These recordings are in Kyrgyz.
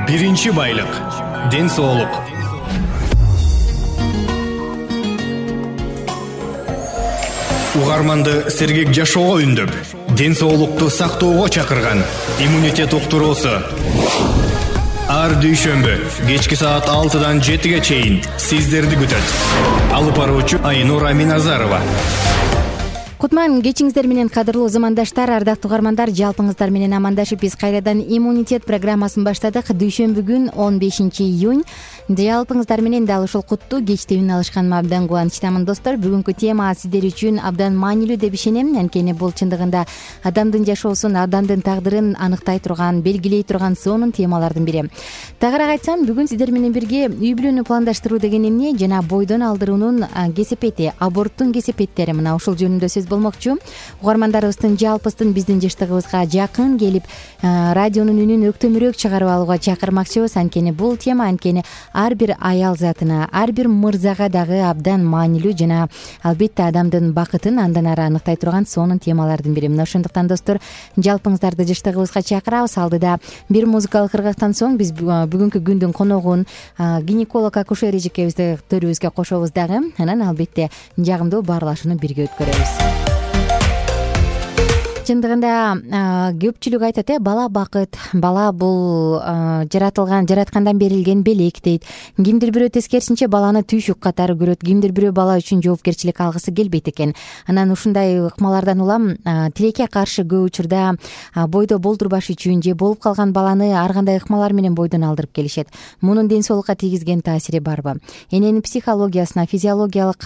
Биринчи байлык — ден соолук. Угарманды сергек жашоого үндөп, ден соолукту сактоого чакырган иммунитет уктуруусу. Ар дүйшөмбү кечки саат 6-дан 7-ге чейин сиздерди күтөт. Алып баруучу Айнура Миназарова. Кутман кечиңиздер менен, кадырлуу замандаштар, ардактуу угармандар. Жалпыңыздар менен амандашып биз кайрадан иммунитет программасын баштадык. Дүйшөмбү күн 15 июнь. Жалпыңыздар менен дал ушул куттуу кечте үн алышканыма абдан кубанычтамын, достор. Бүгүнкү тема сиздер үчүн абдан маанилүү деп ишенем. Анткени бул чындыгында адамдын жашоосун, адамдын тагдырын аныктай турган, белгилей турган сонун темалардын бири. Тагыраак айтсам, бүгүн сиздер менен бирге үй бүлөнү пландаштыруу деген эмне жана бойдон алдыруунун кесепети, аборттун кесепеттери, мына ушул жөнүндө сөз болмокчу. Угармандарыбыздын жалпысын биздин жаштыгыбызга жакын келип, радионун үнүн өктөмүрөөк чыгарып алууга чакырмакчыбыз. Анткени бул тема ар бир аял затына, ар бир мырзага дагы абдан маанилүү жана албетте адамдын бакытын андан ары аныктай турган сонун темалардын бири. Мына ошондуктан достор, жалпыңыздарды жаштыгыбызга чакырабыз. Алдыда бир музыкалык ыргактан соң биз бүгүнкү күндүн коногун гинеколог акушер эжекебизди төрүбүзгө кошобуз дагы. Анан албетте жагымдуу баарлашууну бирге өткөрөбүз. Чындыгында көпчүлүк айтат, бала бакыт, бала бул жараткандан берилген белек дейт. Кимдир бирөө тескерисинче баланы түйшүк катары көрөт, кимдир бирөө бала үчүн жоопкерчилик алгысы келбейт экен. Анан ушундай ыкмалардан улам тилекке каршы көп учурда бойдо болдурбаш үчүн же болуп калган баланы ар кандай ыкмалар менен бойдон алдырып келишет. Мунун ден соолукка тийгизген таасири барбы? Эненин психологиясына, физиологиялык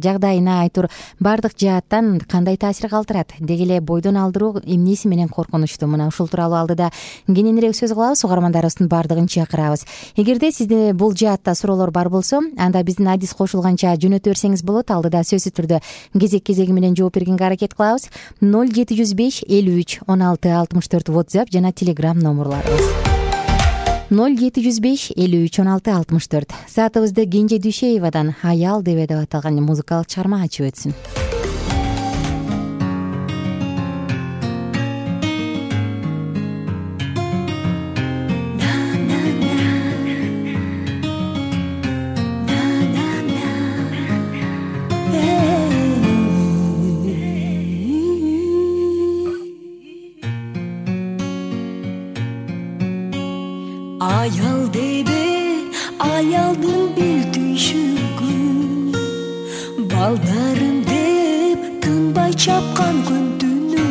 жагдайына айтор баардык жааттан кандай таасир калтырат? Деги эле бойдон алдыруу эмнеси менен коркунучтуу? Мына ушул тууралуу алдыда кененирээк сөз кылабыз, угармандарыбыздын баардыгын чакырабыз. Эгерде сизде бул жаатта суроолор бар болсо, анда биздин адис кошулганча жөнөтө берсеңиз болот. Алдыда сөзсүз түрдө кезек-кезеги менен жооп бергенге аракет кылабыз. 0705 53 16 64 WhatsApp жана Telegram номерларыбыз. 0705 53 16 64. Саатыбызды Кенже Дүйшеевадан "Аял" деп аталган музыкалык чыгарма ачып өтсүн. Аял дейби, аялдын бир түйшүгү, балдарым деп тынбай чапкан күн түнү.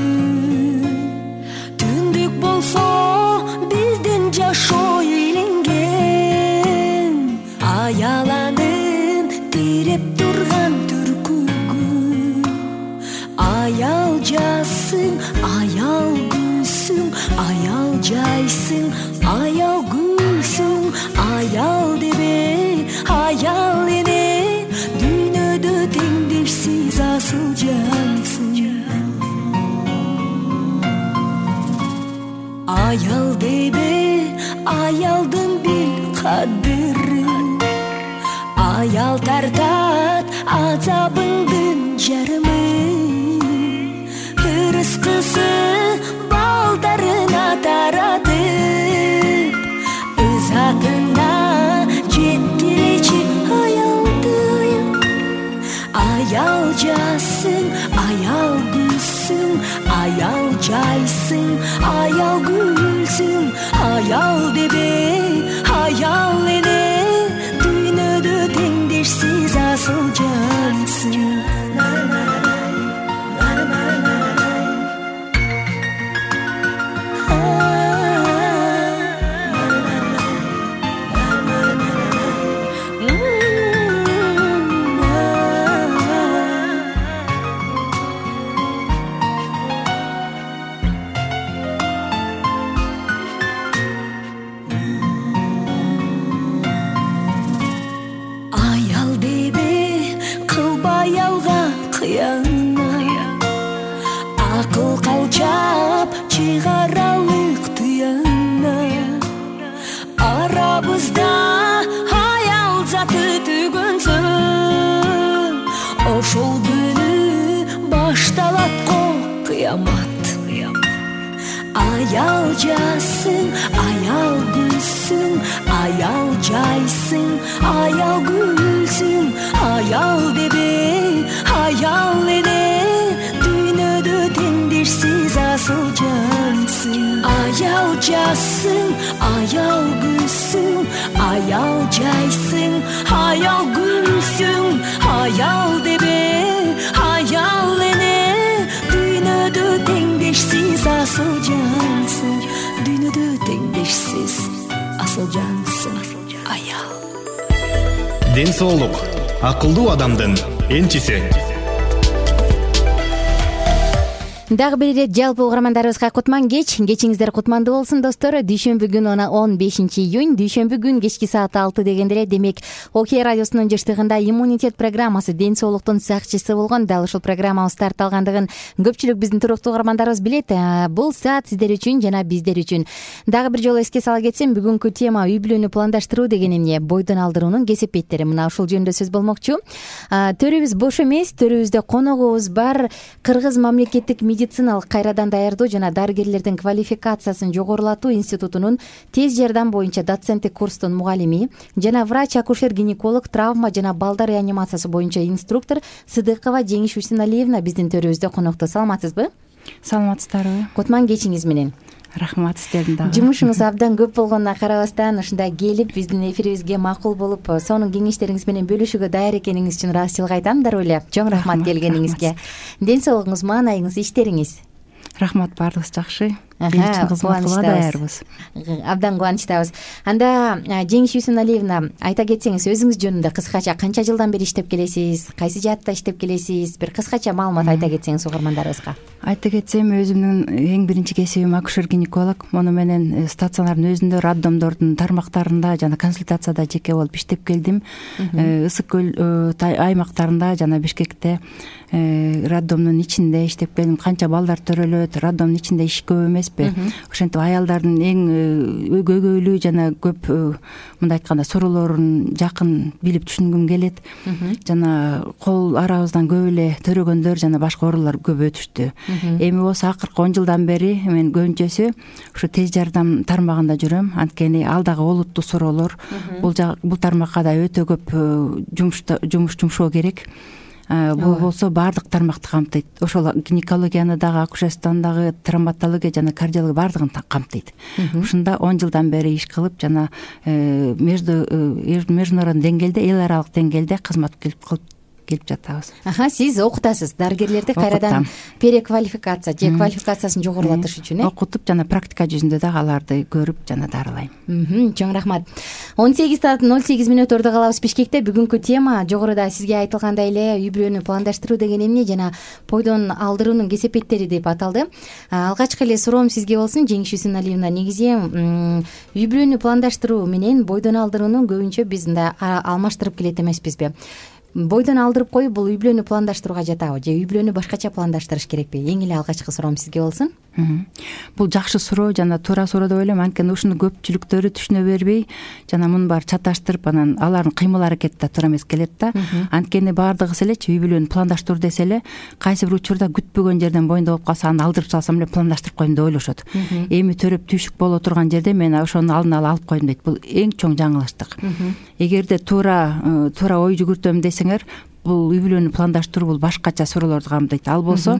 Түндүк болсо биздин жашоо ийленген, аял анын тиреп турган түркүгү. Аял жассың, аял гүлсүң, аял жайсың, аял гүлсүң, аял дебе, аял эне, дүйнөдө теңдешсиз асыл жансың. Аял дебе, аялдын бир кадыры, аял тартат азабыңдын жарымы. Ырыскысы балдарына таратып, ызатына жеткилечи аялды. Аял жассың, аял гүлсүң, аял жайсың, аял гүлсүң, аял дебе, аял эне, дүйнөдө теңдешсиз асыл жансың. Акыл калчап чыгаралык тыяна, арабызда аял заты түгөнсөң, ошол күнү башталат го кыямат. Аял жассың, аял гүлсүң, жассың, аял гүлсүң, аял жайсың, аял гүлсүң, аял дебе, аял эне, дүйнөдө теңдешсиз асыл жансың, дүйнөдө теңдешсиз асыл жансың, аял. Ден соолук акылдуу адамдын энчиси. Дагы бир ирет жалпы угармандарыбызга кутман кеч. Кечиңиздер кутмандуу болсун достор. Дүйшөмбү күнү 15 июнь, дүйшөмбү күн кечки саат 6 дегенде эле, демек Окей радиосунун жыштыгында иммунитет программасы, ден соолуктун сакчысы болгон дал ушул программабыз старт алгандыгын көпчүлүк биздин туруктуу угармандарыбыз билет. Бул саат сиздер үчүн жана биздер үчүн. Дагы бир жолу эске сала кетсем, бүгүнкү тема үй бүлөнү пландаштыруу деген эмне? Бойдон алдыруунун кесепеттери. Мына ушул жөнүндө сөз болмокчу. Төрүбүз бош эмес, төрүбүздө коногубуз бар. Кыргыз мамлекеттик медициналык кайрадан даярдоо жана дарыгерлердин квалификациясын жогорулатуу институтунун тез жардам боюнча доценттик курстун мугалими жана врач-акушер-гинеколог, травма жана балдар реанимациясы боюнча инструктор Сыдыкова Жеңиш Усеналиевна биздин төрүбүздө конокто. Саламатсызбы? Саламатсыздарбы? Кутман кечиңиз менен. Рахмат сиздердин дагы. Жумушуңуз абдан көп болгонуна карабастан ушундай келип биздин эфирибизге макул болуп, сонун кеңештериңиз менен бөлүшүүгө даяр экениңиз үчүн ыраазычылык айтам. Дароо эле чоң рахмат келгениңизге. Ден соолугуңуз, маанайыңыз, иштериңиз? Рахмат, баардыгыбыз жакшы. Биз үчүн кызматка даярбыз. Абдан кубанычтабыз. Анда Жеңиш Усеналиевна, айта кетсеңиз өзүңүз жөнүндө кыскача канча жылдан бери иштеп келесиз? Кайсы жаатта иштеп келесиз? Бир кыскача маалымат айта кетсеңиз угармандарыбызга. Айта кетсем, өзүмдүн эң биринчи кесибим акушер-гинеколог. Муну менен стационардын өзүндө, роддомдордун тармактарында жана консультацияда жеке болуп иштеп келдим. Ысык көл аймактарында жана Бишкекте роддомдун ичинде иштеп келдим. Канча балдар төрөлөт, роддомдун ичинде иш көп эмеспи? Ошентип аялдардын эң көйгөйлүү жана көп, мындай айтканда, суроолорун жакын билип түшүнгүм келет. Жана кол арабыздан көп эле төрөгөндөр жана башка оорулар көп өтүштү. Эми болсо акыркы 10 жылдан бери мен көбүнчөсү ушу тез жардам тармагында жүрөм. Анткени ал дагы олуттуу суроолор. Бул тармакка да өтө көп жумуш жумшоо керек. Бул болсо баардык тармакты камтыйт. Ошол гинекологияны дагы, акушерствону дагы, травматология жана кардиология баардыгын камтыйт. Ушунда 10 жылдан бери иш кылып, жана международный деңгээлде, эл аралык деңгээлде кызмат кылып жатабыз. Сиз окутасыз дарыгерлерди кайрадан переквалификация же квалификациясын жогорулатыш үчүн, окутуп жана практика жүзүндө дагы аларды көрүп жана дарылайм. Чоң рахмат. 18 саат 08 мүнөт ордо калабыз Бишкекте. Бүгүнкү тема жогоруда сизге айтылгандай эле үй бүлөнү пландаштыруу деген эмне жана бойдон алдыруунун кесепеттери деп аталды. Алгачкы эле суроом сизге болсун, Жеңиш Усеналиевна. Негизи үй бүлөнү пландаштыруу менен бойдон алдырууну көбүнчө биз мындай алмаштырып келет эмеспизби? Бойдон алдырып коюп, бул үй бүлөнү пландаштырууга жатабы же үй бүлөнү башкача пландаштырыш керекпи? Эң эле алгачкы суроом сизге болсун. Бул жакшы суроо жана туура суроо деп ойлойм. Анткени ушуну көпчүлүктөрү түшүнө бербей жана муну баары чаташтырып, анан алардын кыймыл аракети да туура эмес келет да. Анткени баардыгыбыз элечи үй бүлөнү пландаштыруу десе эле, кайсы бир учурда күтпөгөн жерден боюнда болуп калса, аны алдырып салсам эле пландаштырып коем деп ойлошот. Эми төрөп түйшүк боло турган жерде мен ошону алдын ала алып коем дейт. Бул эң чоң жаңылыштык. Эгерде туура ой жүгүртөм десеңер, бул үй бүлөнү пландаштыруу бул башкача суроолорду камтыйт. Ал болсо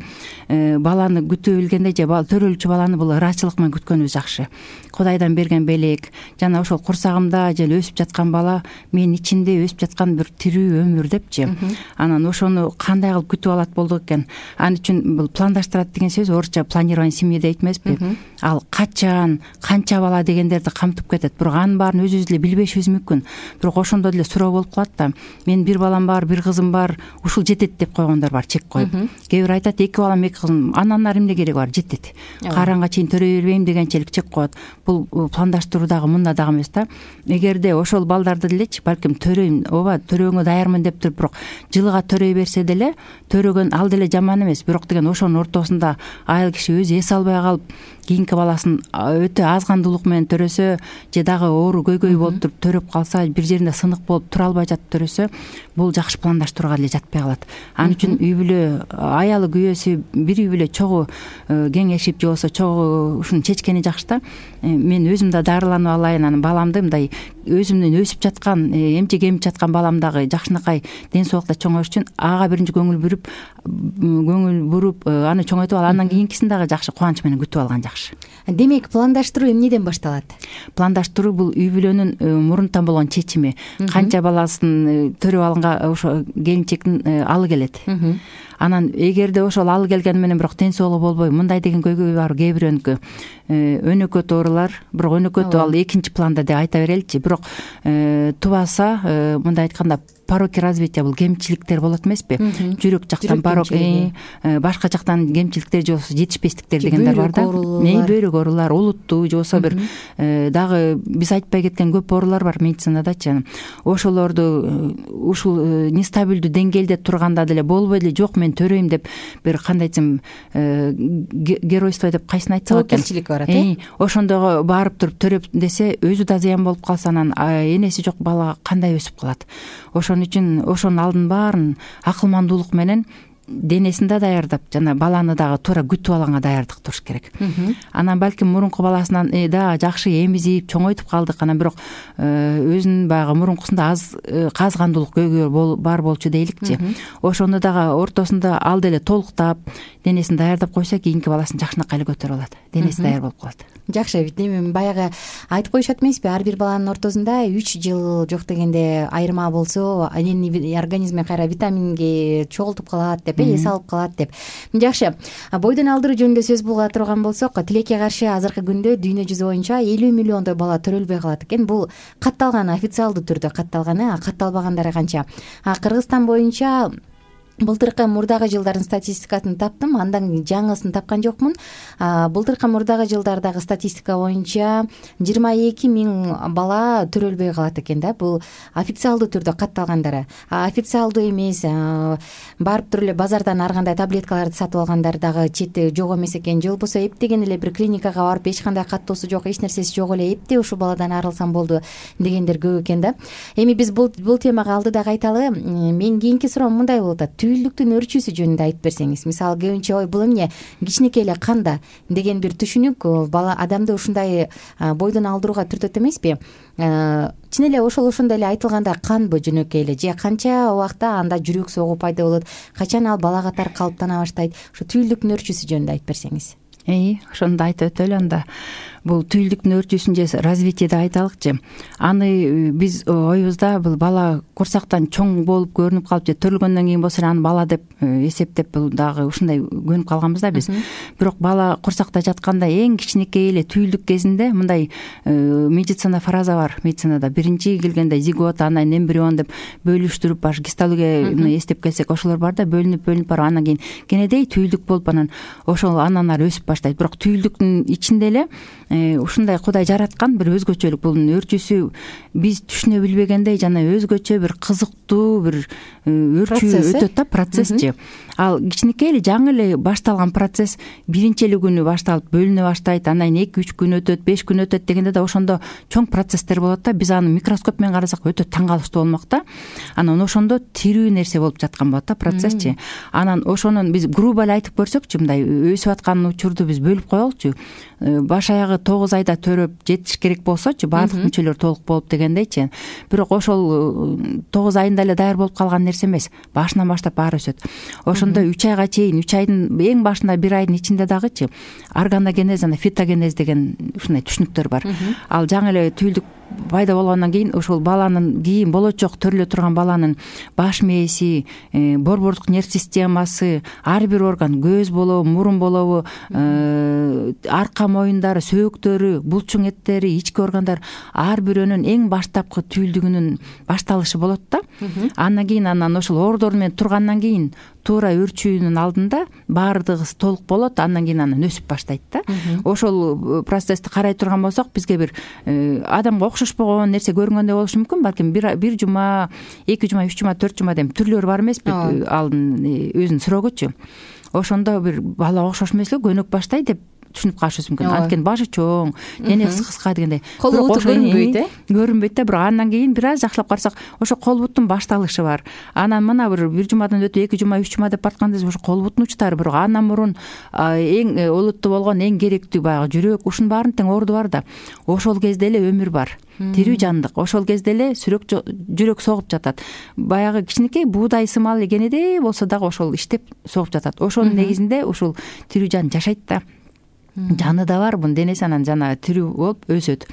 баланы күтө билгенде же төрөлчү баланы бул ыраачылык менен күткөнүбүз жакшы. Кудайдан берген белек жана ошол курсагымда же өсүп жаткан бала менин ичимде өсүп жаткан бир тирүү өмүр депчи. Анан ошону кандай кылып күтүп алат болдук экен? Ал үчүн бул пландаштырат деген сөз орусча планирование семьи дейт эмеспи? Ал качан, канча бала дегендерди камтып кетет. Бирок анын баарын өзүбүз эле билбешибиз мүмкүн. Бирок ошондо деле суроо болуп калат да. Мен бир балам бар, бир кызым бар, ушул жетет деп койгондор бар, чек коюп. Кээ бир айтат, 2 балам, 2 кызым, андан ары эмне кереги бар, жетет. Кааранга чейин төрөй бербейм дегенчелик чек коет. Бул пландаштыруу дагы мында дагы эмес да. Эгерде ошол балдарды делечи балким төрөйм, ооба, төрөөгө даярмын деп туруп, бирок жылга төрөй берсе деле, төрөгөн ал деле жаман эмес. Бирок деген ошонун ортосунда айыл киши өзү эс албай калып, кийинки баласын өтө аз кандуулук менен төрөсө, же дагы оору көйгөй болуп туруп төрөп калса, бир жеринде сынык болуп тура албай жатып төрөсө, бул жакшы пландаштырууга деле жатпай калат. Ал үчүн үй бүлө аялы күйөөсү бир үй бүлө чогуу кеңешип же болбосо чогуу ушуну чечкени жакшы да. Мен өзүм да дарыланып алайын, анан баламды мындай өзүмдүн өсүп жаткан эмчек эмип жаткан балам дагы жакшынакай ден соолукта чоңоюш үчүн ага биринчи көңүл буруп аны чоңойтуп алып андан кийинкисин дагы жакшы кубаныч менен күтүп алган жакшы. Демек пландаштыруу эмнеден башталат? Пландаштыруу бул үй бүлөнүн мурунтан болгон чечими. Канча баласын төрөп алганга ошо келинчектин алы келет. Анан эгерде ошол алы келгени менен бирок ден соолугу болбой мындай деген көйгөй бар кээ бирөөнүкү өнөкөт оорулар, бирок өнөкөтү ал экинчи планда деп айта береличи. Бирок тубаса мындай айтканда пороки развития бул кемчиликтер болот эмеспи? Жүрөк жактан порок, башка жактан кемчиликтер же болбосо жетишпестиктер дегендер бар да. Бөйрөк оорулар, олуттуу же болбосо бир дагы биз айтпай кеткен көп оорулар бар медицинадачы. Ошолорду ушул нестабилдүү деңгээлде турганда деле болбой деле жок мен төрөйм деп бир кандай десем геройство деп кайсын айтсак экен. Тобокелчилик барат. Ошондого барып туруп төрөп десе өзү да зыян болуп калса анан энеси жок бала кандай өсүп калат. Ошон үчүн ошонун алдын баарын акылмандуулук менен денесин да даярдап жана баланы дагы туура күтүп алганга даярдык туруш керек. Анан балким мурунку баласынан да жакшы эмизип чоңойтуп калдык, анан бирок өзүнүн баягы мурункусунда аз казгандуулук көйгөй бар болчу дейликчи. Ошону дагы ортосунда ал деле толуктап денесин даярдап койсо кийинки баласын жакшынакай эле көтөрүп алат. Денеси даяр болуп калат. Жакшы, эми баягы айтып коюшат эмеспи, ар бир баланын ортосунда 3 жыл жок дегенде айырма болсо анын организми кайра витаминге чогултуп калат деп, эс алып калат деп. Жакшы, бойдон алдыруу жөнүндө сөз булга турган болсок, тилекке каршы азыркы күндө дүйнө жүзү боюнча 50 миллиондой бала төрөлбөй калат экен. Бул катталган, официалдуу түрдө катталган, катталбагандары канча? Кыргызстан боюнча былтыркы мурдагы жылдардын статистикасын таптым, андан жаңысын тапкан жокмун. Былтыркы мурдагы жылдардагы статистика боюнча 22 000 бала төрөлбөй калат экен да. Бул официалдуу түрдө катталгандары. Официалдуу эмес, барып туруп эле базардан ар кандай таблеткаларды сатып алгандар дагы чети жок эмес экен. Же болбосо эптеген эле бир клиникага барып эч кандай каттоосу жок, эч нерсеси жок эле, эптеп ушул баладан арылсам болду дегендер көп экен да. Эми биз бул темага алдыда кайталы. Мен кийинки суроом мындай болуп атат. Түйүлдүктүн өрчүүсү жөнүндө айтып берсеңиз. Мисалы көбүнчө ой бул эмне кичинекей эле канда деген бир түшүнүк бала адамды ушундай бойдон алдырууга түртөт эмеспи? Чын эле ошондой эле айтылганда канбы жөнөкөй эле же канча убакта анда жүрөк согуу пайда болот, качан ал бала катары калыптана баштайт? Ошо түйүлдүктүн өрчүүсү жөнүндө айтып берсеңиз. Ошону да айтып өтөлү анда. Бул түйүлдүктүн өрчүүсүн же развитие деп айталыкчы. Аны биз оюбузда бул бала курсактан чоң болуп көрүнүп калып же төрөлгөндөн кийин болсо аны бала деп эсептеп бул дагы ушундай көнүп калганбыз да биз. Бирок бала курсакта жатканда эң кичинекей эле түйүлдүк кезинде мындай медицина фраза бар. Медицинада биринчи келгенде зигот, анан эмбрион деп бөлүштүрүп баш гистология эстеп келсек ошолор бар да, бөлүнүп барып анан кийин кенедей түйүлдүк болуп анан ошол андан ары өсүп баштайт. Бирок түйүлдүктүн ичинде эле ушундай Кудай жараткан бир өзгөчөлүк бунун өрчүүсү биз түшүнө билбегендей жана өзгөчө бир кызыктуу бир өрчүү өтөт да, процессчи. Ал кичинекей эле жаңы эле башталган процесс биринчи эле күнү башталып бөлүнө баштайт, андан кийин 2-3 күн өтөт, 5 күн өтөт дегенде да ошондо чоң процесстер болот да. Биз аны микроскоп менен карасак өтө таң калыштуу болмок да. Анан ошондо тирүү нерсе болуп жаткан болот да, процессчи. Анан ошонун биз грубо эле айтып көрсөкчү, мындай өсүп аткан учурду биз бөлүп коелучу. Баш аягы 9 айда төрөп жетиш керек болсочу, баардык мүчөлөр толук болуп дегендейчи. Бирок ошол 9 айында эле даяр болуп калган нерсе эмес. Башынан баштап баары өсөт. Ошондо 3 айга чейин, 3 айдын эң башында 1 айдын ичинде дагычы органогенез жана фитогенез деген ушундай түшүнүктөр бар. Ал жаңы эле түйүлдүк пайда болгондон кийин ошол баланын кийин болочок төрөлө турган баланын баш мээси, борбордук нерв системасы, ар бир орган, көз болобу, мурун болобу, арка моюндары, сөөктөрү, булчуң эттери, ички органдар ар бирөөнүн эң баштапкы түйүлдүгүнүн башталышы болот да. Андан кийин ошол оордор менен тургандан кийин туура өрчүүнүн алдында баардыгы толук болот, андан кийин анан өсүп баштайт да. Ошол процессти карай турган болсок, бизге бир адамга окшошпогон нерсе көрүнгөндөй болушу мүмкүн. Балким бир жума, 2 жума, 3 жума, 4 жума деп түрлөрү бар эмеспи алдын өзүнүн срогучу. Ошондо бир бала окшош эмес эле көнөк баштайт деп түшүнүп калышыбыз мүмкүн. Анткени башы чоң, денеси кыска дегендей. Кол буту көрүнбөйт да, бирок андан кийин бир аз жакшылап карасак, ошо кол буттун башталышы бар. Анан мына бир жумадан өтүп 2 жума 3 жума деп баратканда ошо кол буттун учтары, бирок андан мурун эң олуттуу болгон, эң керектүү баягы жүрөк, ушунун баарынын тең орду бар да. Ошол кезде эле өмүр бар. Тирүү жандык. Ошол кезде эле жүрөк согуп жатат. Баягы кичинекей буудай сымал кенедей болсо дагы ошол иштеп согуп жатат. Ошонун негизинде ушул тирүү жан жашайт да. Жаны да бар, бунун денеси анан жана тирүү болуп өсөт.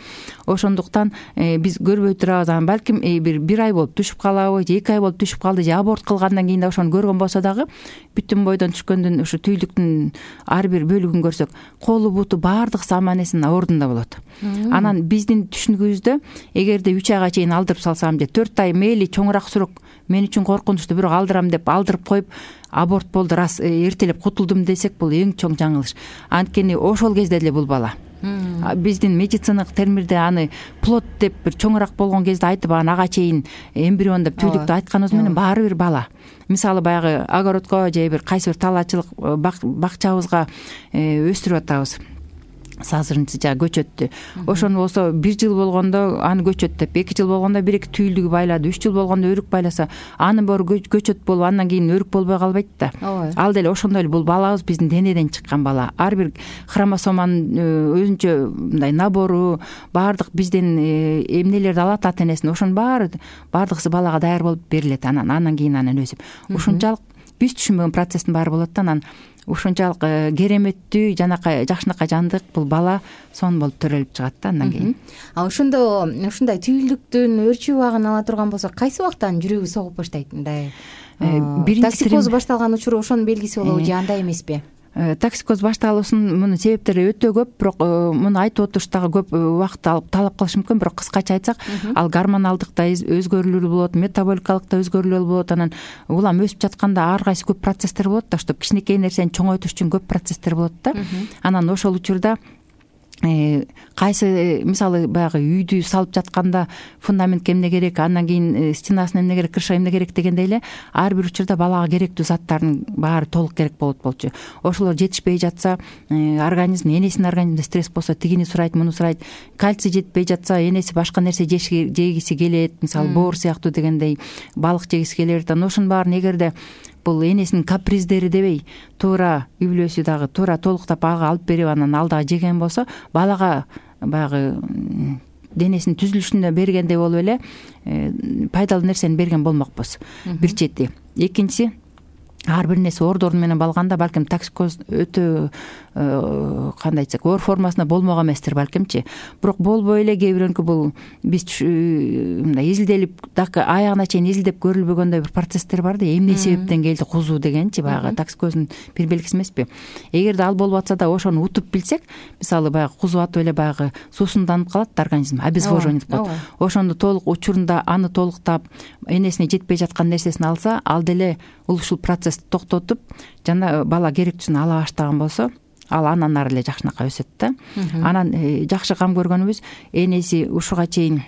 Ошондуктан биз көрбөй турабыз. Анан балким бир ай болуп түшүп калабы, же 2 ай болуп түшүп калды, же аборт кылгандан кийин да ошону көргөн болсо дагы бүтүн бойдон түшкөндүн ушу түйүлдүктүн ар бир бөлүгүн көрсөк, колу буту баардыгысы аман эсен ордунда болот. Анан биздин түшүнүгүбүздө эгерде 3 айга чейин алдырып салсам, же 4 ай мейли чоңураак сүрөк мен үчүн коркунучтуу, бирок алдырам деп алдырып коюп аборт болду, рас эртелеп кутулдум десек, бул эң чоң жаңылыш. Анткени ошол кезде эле бул бала. Биздин медициналык термирде аны плод деп бир чоңураак болгон кезде айтып, анан ага чейин эмбрион деп түйүлдүктү айтканыбыз менен баары бир бала. Мисалы баягы огородко же бир кайсы бир талаачылык бакчабызга өстүрүп атабыз. Сазырынчы жа көчөттү. Ошону болсо 1 жыл болгондо аны көчөт деп, 2 жыл болгондо 1-2 түйүлдүгү байлады, 3 жыл болгондо өрүк байласа, анын баары көчөт болуп, андан кийин өрүк болбой калбайт да. Ал деле ошондой эле бул балабыз биздин денеден чыккан бала. Ар бир хромосоманын өзүнчө мындай набору, баардык биздин эмнелерди алат ата энесин, ошонун баардыгысы балага даяр болуп берилет. Андан кийин өсүп. Ушунчалык биз түшүнбөгөн процесстин баары болот да. Анан ушунчалык кереметтүү, жанакай жакшынакай жандык бул бала сонун болуп төрөлүп чыгат да андан кийин. Ошондо ушундай түйүлдүктүн өрчүү убагын ала турган болсо, кайсы убактан жүрөгү согуп баштайт? Мындай токсикоз башталган учуру ошонун белгиси болобу же андай эмеспи? Токсикоз башталуусунун мунун себептери өтө көп, бирок муну айтып отуруш дагы көп убакыт алып талап кылышы мүмкүн. Бирок кыскача айтсак, ал гормоналдык да өзгөрүүлөр болот, метаболикалык да өзгөрүүлөр болот. Анан улам өсүп жатканда ар кайсы көп процесстер болот да, чтобы кичинекей нерсени чоңойтуш үчүн көп процесстер болот да. Анан ошол учурда кайсы мисалы баягы үйдү салып жатканда фундаментке эмне керек, андан кийин стенасына эмне керек, крыша эмне керек дегендей эле ар бир учурда балага керектүү заттардын баары толук керек болчу. Ошолор жетишпей жатса, организм, энесинин организминде стресс болсо тигини сурайт, муну сурайт. Кальций жетпей жатса, энеси башка нерсе жегиси келет, мисалы боор сыяктуу дегендей балык жегиси келет. Анан ошонун баарын эгерде бул энесинин каприздери дебей, туура үй бүлөсү дагы туура толуктап ага алып берип, анан ал дагы жеген болсо, балага баягы денесинин түзүлүшүнө бергендей болуп эле пайдалуу нерсени берген болмокпуз. Бир чети. Экинчиси, ар бир нерсе ордору менен балганда балким токсикоз өтө кандай айтсак, оор формасында болмок эместир балкимчи. Бирок болбой эле кээ бирөөнүкү бул биз мындай изилделип, дагы аягына чейин изилдеп көрүлбөгөндөй бир процесстер бар да, эмне себептен келди кузуу дегенчи, баягы токсикоздун бир белгиси эмеспи. Эгерде ал болуп атса да ошону утуп билсек, мисалы баягы кузуу атып эле баягы суусунданып калат да организм, обезвоживание деп коет. Ошондо толук учурунда аны толуктап, энесине жетпей жаткан нерсесин алса, ал деле ушул процессти токтотуп, жана бала керектүүсүн ала баштаган болсо, ал андан ары эле жакшынакай өсөт да. Анан жакшы кам көргөнүбүз, энеси ушуга чейин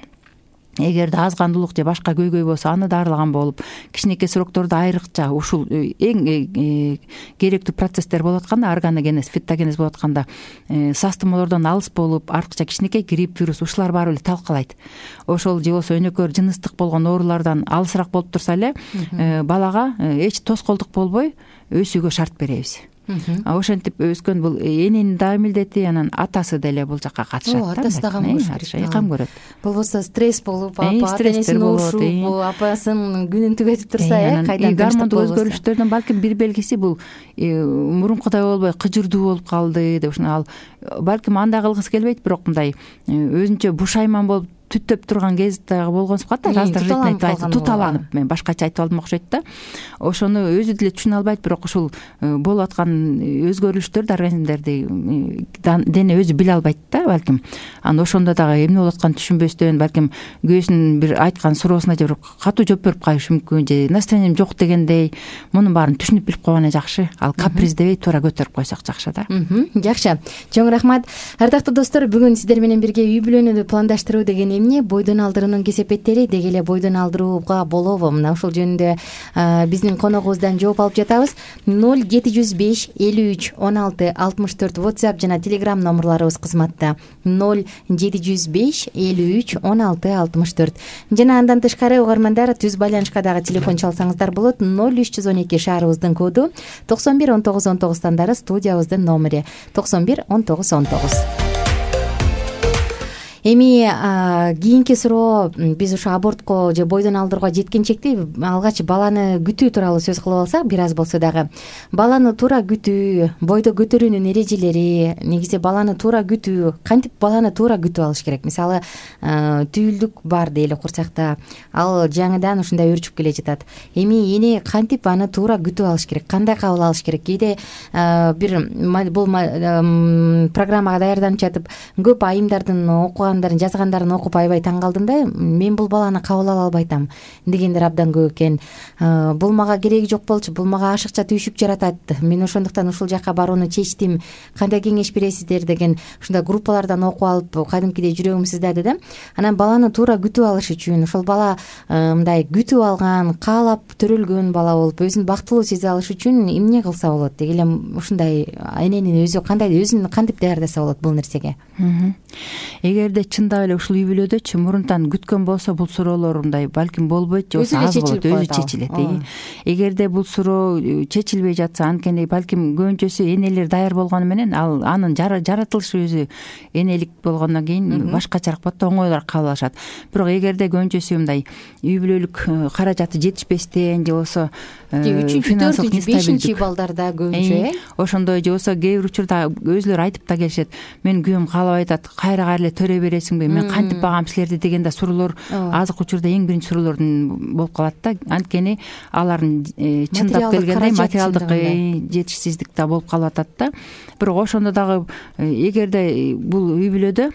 эгерде азгандуулук же башка көйгөй болсо аны дарылаган болуп, кичинекей сроктордо айрыкча ушул эң керектүү процесстер болуп атканда, органогенез, фитогенез болуп атканда, састымолордон алыс болуп, артыкча кичинекей грипп, вирус ушулар баары эле талкалайт. Ошол же болсо өнөкөр жыныстык болгон оорулардан алысыраак болуп турса эле, балага эч тоскоолдук болбой өсүүгө шарт беребиз. Ошентип өскөн бул эненин да милдети, анан атасы деле бул жакка катышат да. Атасы да кам көрөт. Болбосо стресс болуп, ата-энесин ушуп, апасынын күнүн түгөтүп турса, кайдан гормондук өзгөрүштөрдөн балким бир белгиси бул мурункудай болбой кыжырдуу болуп калды деп, ушуну ал балким андай кылгысы келбейт, бирок мындай өзүнчө бушайман болуп түттөп турган кез дагы болгон сукат да, раздражительный, туталанып, мен башкача айтып алдым окшойт да. Ошону өзү деле түшүнө албайт, бирок ушул болуп аткан өзгөрүлүштөрдү организмдерди дене өзү биле албайт да балким. Анан ошондо дагы эмне болуп атканын түшүнбөстөн, балким күйөөсүнүн бир айткан суроосуна же бир катуу жооп берип калышы мүмкүн, же настроением жок дегендей, мунун баарын түшүнүп билип койгону жакшы. Ал каприз дебей туура көтөрүп койсок жакшы да. Жакшы. Чоң рахмат. Ардактуу достор, бүгүн сиздер менен бирге үй бүлөнү пландаштыруу деген эмне бойдон алдыруунун кесепеттери деги эле бойдон алдырууга болобу? Мына ушул жөнүндө биздин коногубуздан жооп алып жатабыз. 0705 53 16 64 WhatsApp жана Telegram номерлорубуз кызматта. 0705 53 16 64. Жана андан тышкары угармандар түз байланышка дагы телефон чалсаңыздар болот. 0312 шаарыбыздын коду, 91 19 19 стандары студиябыздын номери 91 19 19. Эми кийинки суроо биз ушу абортко же бойдон алдырууга жеткенчекти алгач баланы күтүү тууралуу сөз кылып алсак, бир аз болсо дагы баланы туура күтүү, бойдо көтөрүүнүн эрежелери, негизи баланы туура күтүү, кантип баланы туура күтүп алыш керек? Мисалы, түйүлдүк бар дейли курсакта, ал жаңыдан ушундай өрчүп келе жатат. Эми эне кантип аны туура күтүп алыш керек? Кандай кабыл алыш керек? Кээде бир бул программага даярданып жатып, көп айымдардын окуган жазгандарын окуп аябай таң калдым да. Мен бул баланы кабыл ала албайтам дегендер абдан көп экен. Бул мага кереги жок болчу, бул мага ашыкча түйшүк жаратат. Мен ошондуктан ушул жакка барууну чечтим. Кандай кеңеш бересиздер деген ушундай группалардан окуп алып, кадимкидей жүрөгүм сыздады да. Анан баланы туура күтүп алыш үчүн, ошол бала мындай күтүп алган, каалап төрөлгөн бала болуп, өзүн бактылуу сезе алыш үчүн эмне кылса болот? Деги эле ушундай эненин өзүн кантип даярдаса болот бул нерсеге? Эгерде чындап эле ушул үй бүлөдөчү мурунтан күткөн болсо, бул суроолор мындай балким болбойт же болбосо аз болот, өзү чечилет. Эгерде бул суроо чечилбей жатса, анткени балким көбүнчөсү энелер даяр болгону менен анын жаратылышы өзү энелик болгондон кийин башкачараак болот да, оңойлуураак кабыл алышат. Бирок эгерде көбүнчөсү мындай үй бүлөлүк каражаты жетишпестен же болбосо 3-4, 5 балдарда көбүнчө ошондой же болбосо кээ бир учурда өзүлөрү айтып да келишет. Мен күйөөм каалап айтат, кайра эле төрө бересиңби, мен кантип багам силерди деген да суроолор азыркы учурда эң биринчи суроолордун болуп калат да. Анткени алардын чындап келгенде материалдык жетишсиздик да болуп калып атат да. Бирок ошондо дагы эгерде бул үй бүлөдө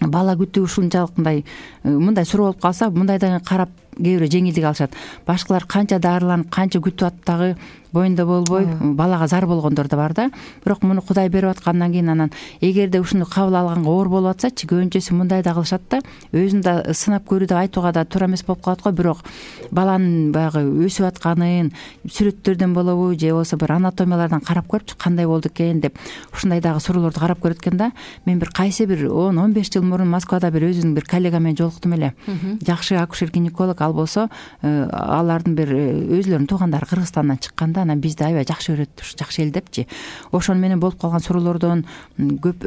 бала күтүү ушунчалык мындай суроо болуп калса, мындайдан карап кээ бирөө жеңилдик алышат. Башкалар канча дарыланып, канча күтүп атып дагы боюнда болбой балага зар болгондор да бар да. Бирок муну Кудай берип аткандан кийин анан эгерде ушуну кабыл алганга оор болуп атсачы, көбүнчөсү мындай да кылышат да. Өзүн да сынап көрүү деп айтууга да туура эмес болуп калат го. Бирок баланын баягы өсүп атканын сүрөттөрдөн болобу же болбосо бир анатомиялардан карап көрүпчү, кандай болду экен деп ушундай дагы суроолорду карап көрөт экен да. Мен бир кайсы бир 10-15 жыл мурун Москвада бир өзүнүн бир коллега менен жолуктум эле. Жакшы акушер-гинеколог, ал болсо алардын бир өзүлөрүнүн туугандары Кыргызстандан чыккан. Анан бизди аябай жакшы көрөт, жакшы эл депчи. Ошону менен болуп калган суроолордон көп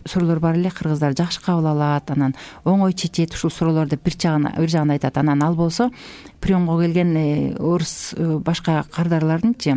суроолор бар эле. Кыргыздар жакшы кабыл алат, анан оңой чечет ушул суроолор деп бир жагын айтат. Анан ал болсо приемго келген орус башка кардарлардынчы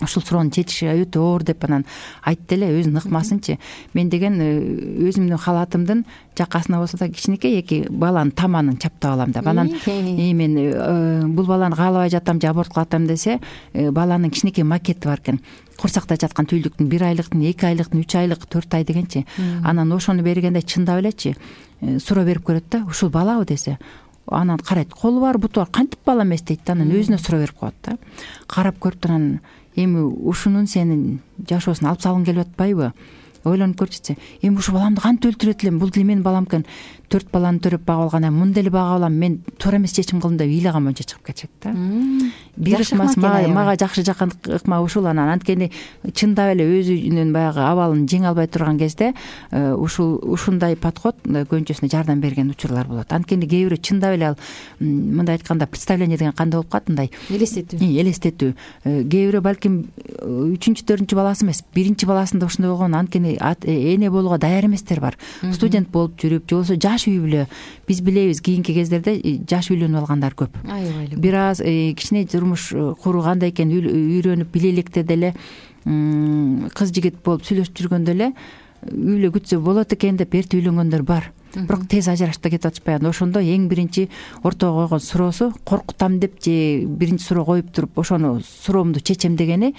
ушул суроону чечиши өтө оор деп анан айтты эле, өзүн ыкмасынчы. Мен деген өзүмдүн халатымдын жакасына болсо да кичинекей эки баланын таманын чаптап алам деп. Анан мен бул баланы каалабай жатам же аборт кылатам десе, баланын кичинекей макети бар экен. Курсакта жаткан түйүлдүктүн 1 айлыктын, 2 айлыктын, 3 айлык, 4 ай дегенчи. Анан ошону бергенде чындап элечи суроо берип көрөт да, ушул балабы десе. Анан карайт, колу бар, буту бар, кантип бала эмес дейт да. Анан өзүнө суроо берип коет да. Карап көрүп анан эми ушунун сенин жашоосуна алып салгың келип атпайбы? Ойлонуп көрчүсү. Эми ушу баламды кантип өлтүрөт элем? Бул деле менин балам экен. 4 баланы төрөп багып алган, мындай эле багып алам. Мен туура эмес чечим кылдым деп ыйлаган боюнча чыгып кетет да. Бир ыкмасы мага жакшы жаккан ыкма ушул. Анан анткени чындап эле өзүнүн баягы абалын жеңе албай турган кезде ушундай подход көбүнчөсүнө жардам берген учурлар болот. Анткени кээ бирөө чындап эле ал мындай айтканда представление деген кандай болуп калат, мындай элестетүү. Кээ бирөө балким 3-4 баласы эмес, 1 баласында ушундай болгон, анткени эне болууга даяр эместер бар. Студент болуп жүрүп, же болбосо жаш үй бүлө. Биз билебиз, кийинки кездерде жаш үйлөнүп алгандар көп. Бир аз кичине турмуш куруу кандай экенин үйрөнүп биле электе деле кыз жигит болуп сүйлөшүп жүргөндө эле үй бүлө күтсө болот экен деп эрте үйлөнгөндөр бар. Бирок тез ажырашып да кетип атышпайбы. Ошондо эң биринчи ортого койгон суроосу, коркутам деп же биринчи суроо коюп туруп ошону суроомду чечем дегени,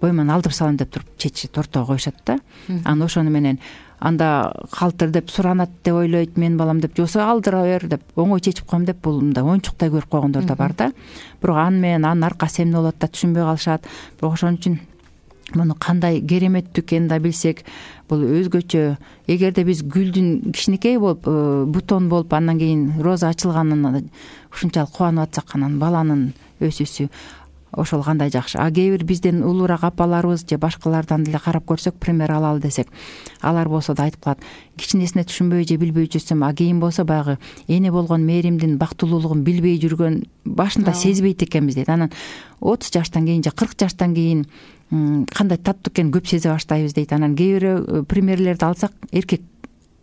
бойман алдырып салам деп туруп чечишет, ортого коюшат да. Анан ошону менен анда калтыр деп суранат деп ойлойт менин балам деп, жосо алдыра бер деп оңой чечип коем деп бул мындай оюнчуктай көрүп койгондор да бар да. Бирок аны менен анын аркасы эмне болот да түшүнбөй калышат. Бирок ошон үчүн муну кандай кереметтүү экенин да билсек, бул өзгөчө. Эгерде биз гүлдүн кичинекей болуп бутон болуп андан кийин роза ачылганын ушунчалык кубанып атсак, анан баланын өсүүсү ошол кандай жакшы. А кээ бир бизден улуураак апаларыбыз же башкалардан деле карап көрсөк, пример алалы десек, алар болсо да айтып калат, кичинесине түшүнбөй же билбей жүрсөм, а кийин болсо баягы эне болгон мээримдин бактылуулугун билбей жүргөн, башында сезбейт экенбиз дейт. Анан 30 жаштан кийин же 40 жаштан кийин кандай таттуу экенин көп сезе баштайбыз дейт. Анан кээ бир примерлерди алсак, эркек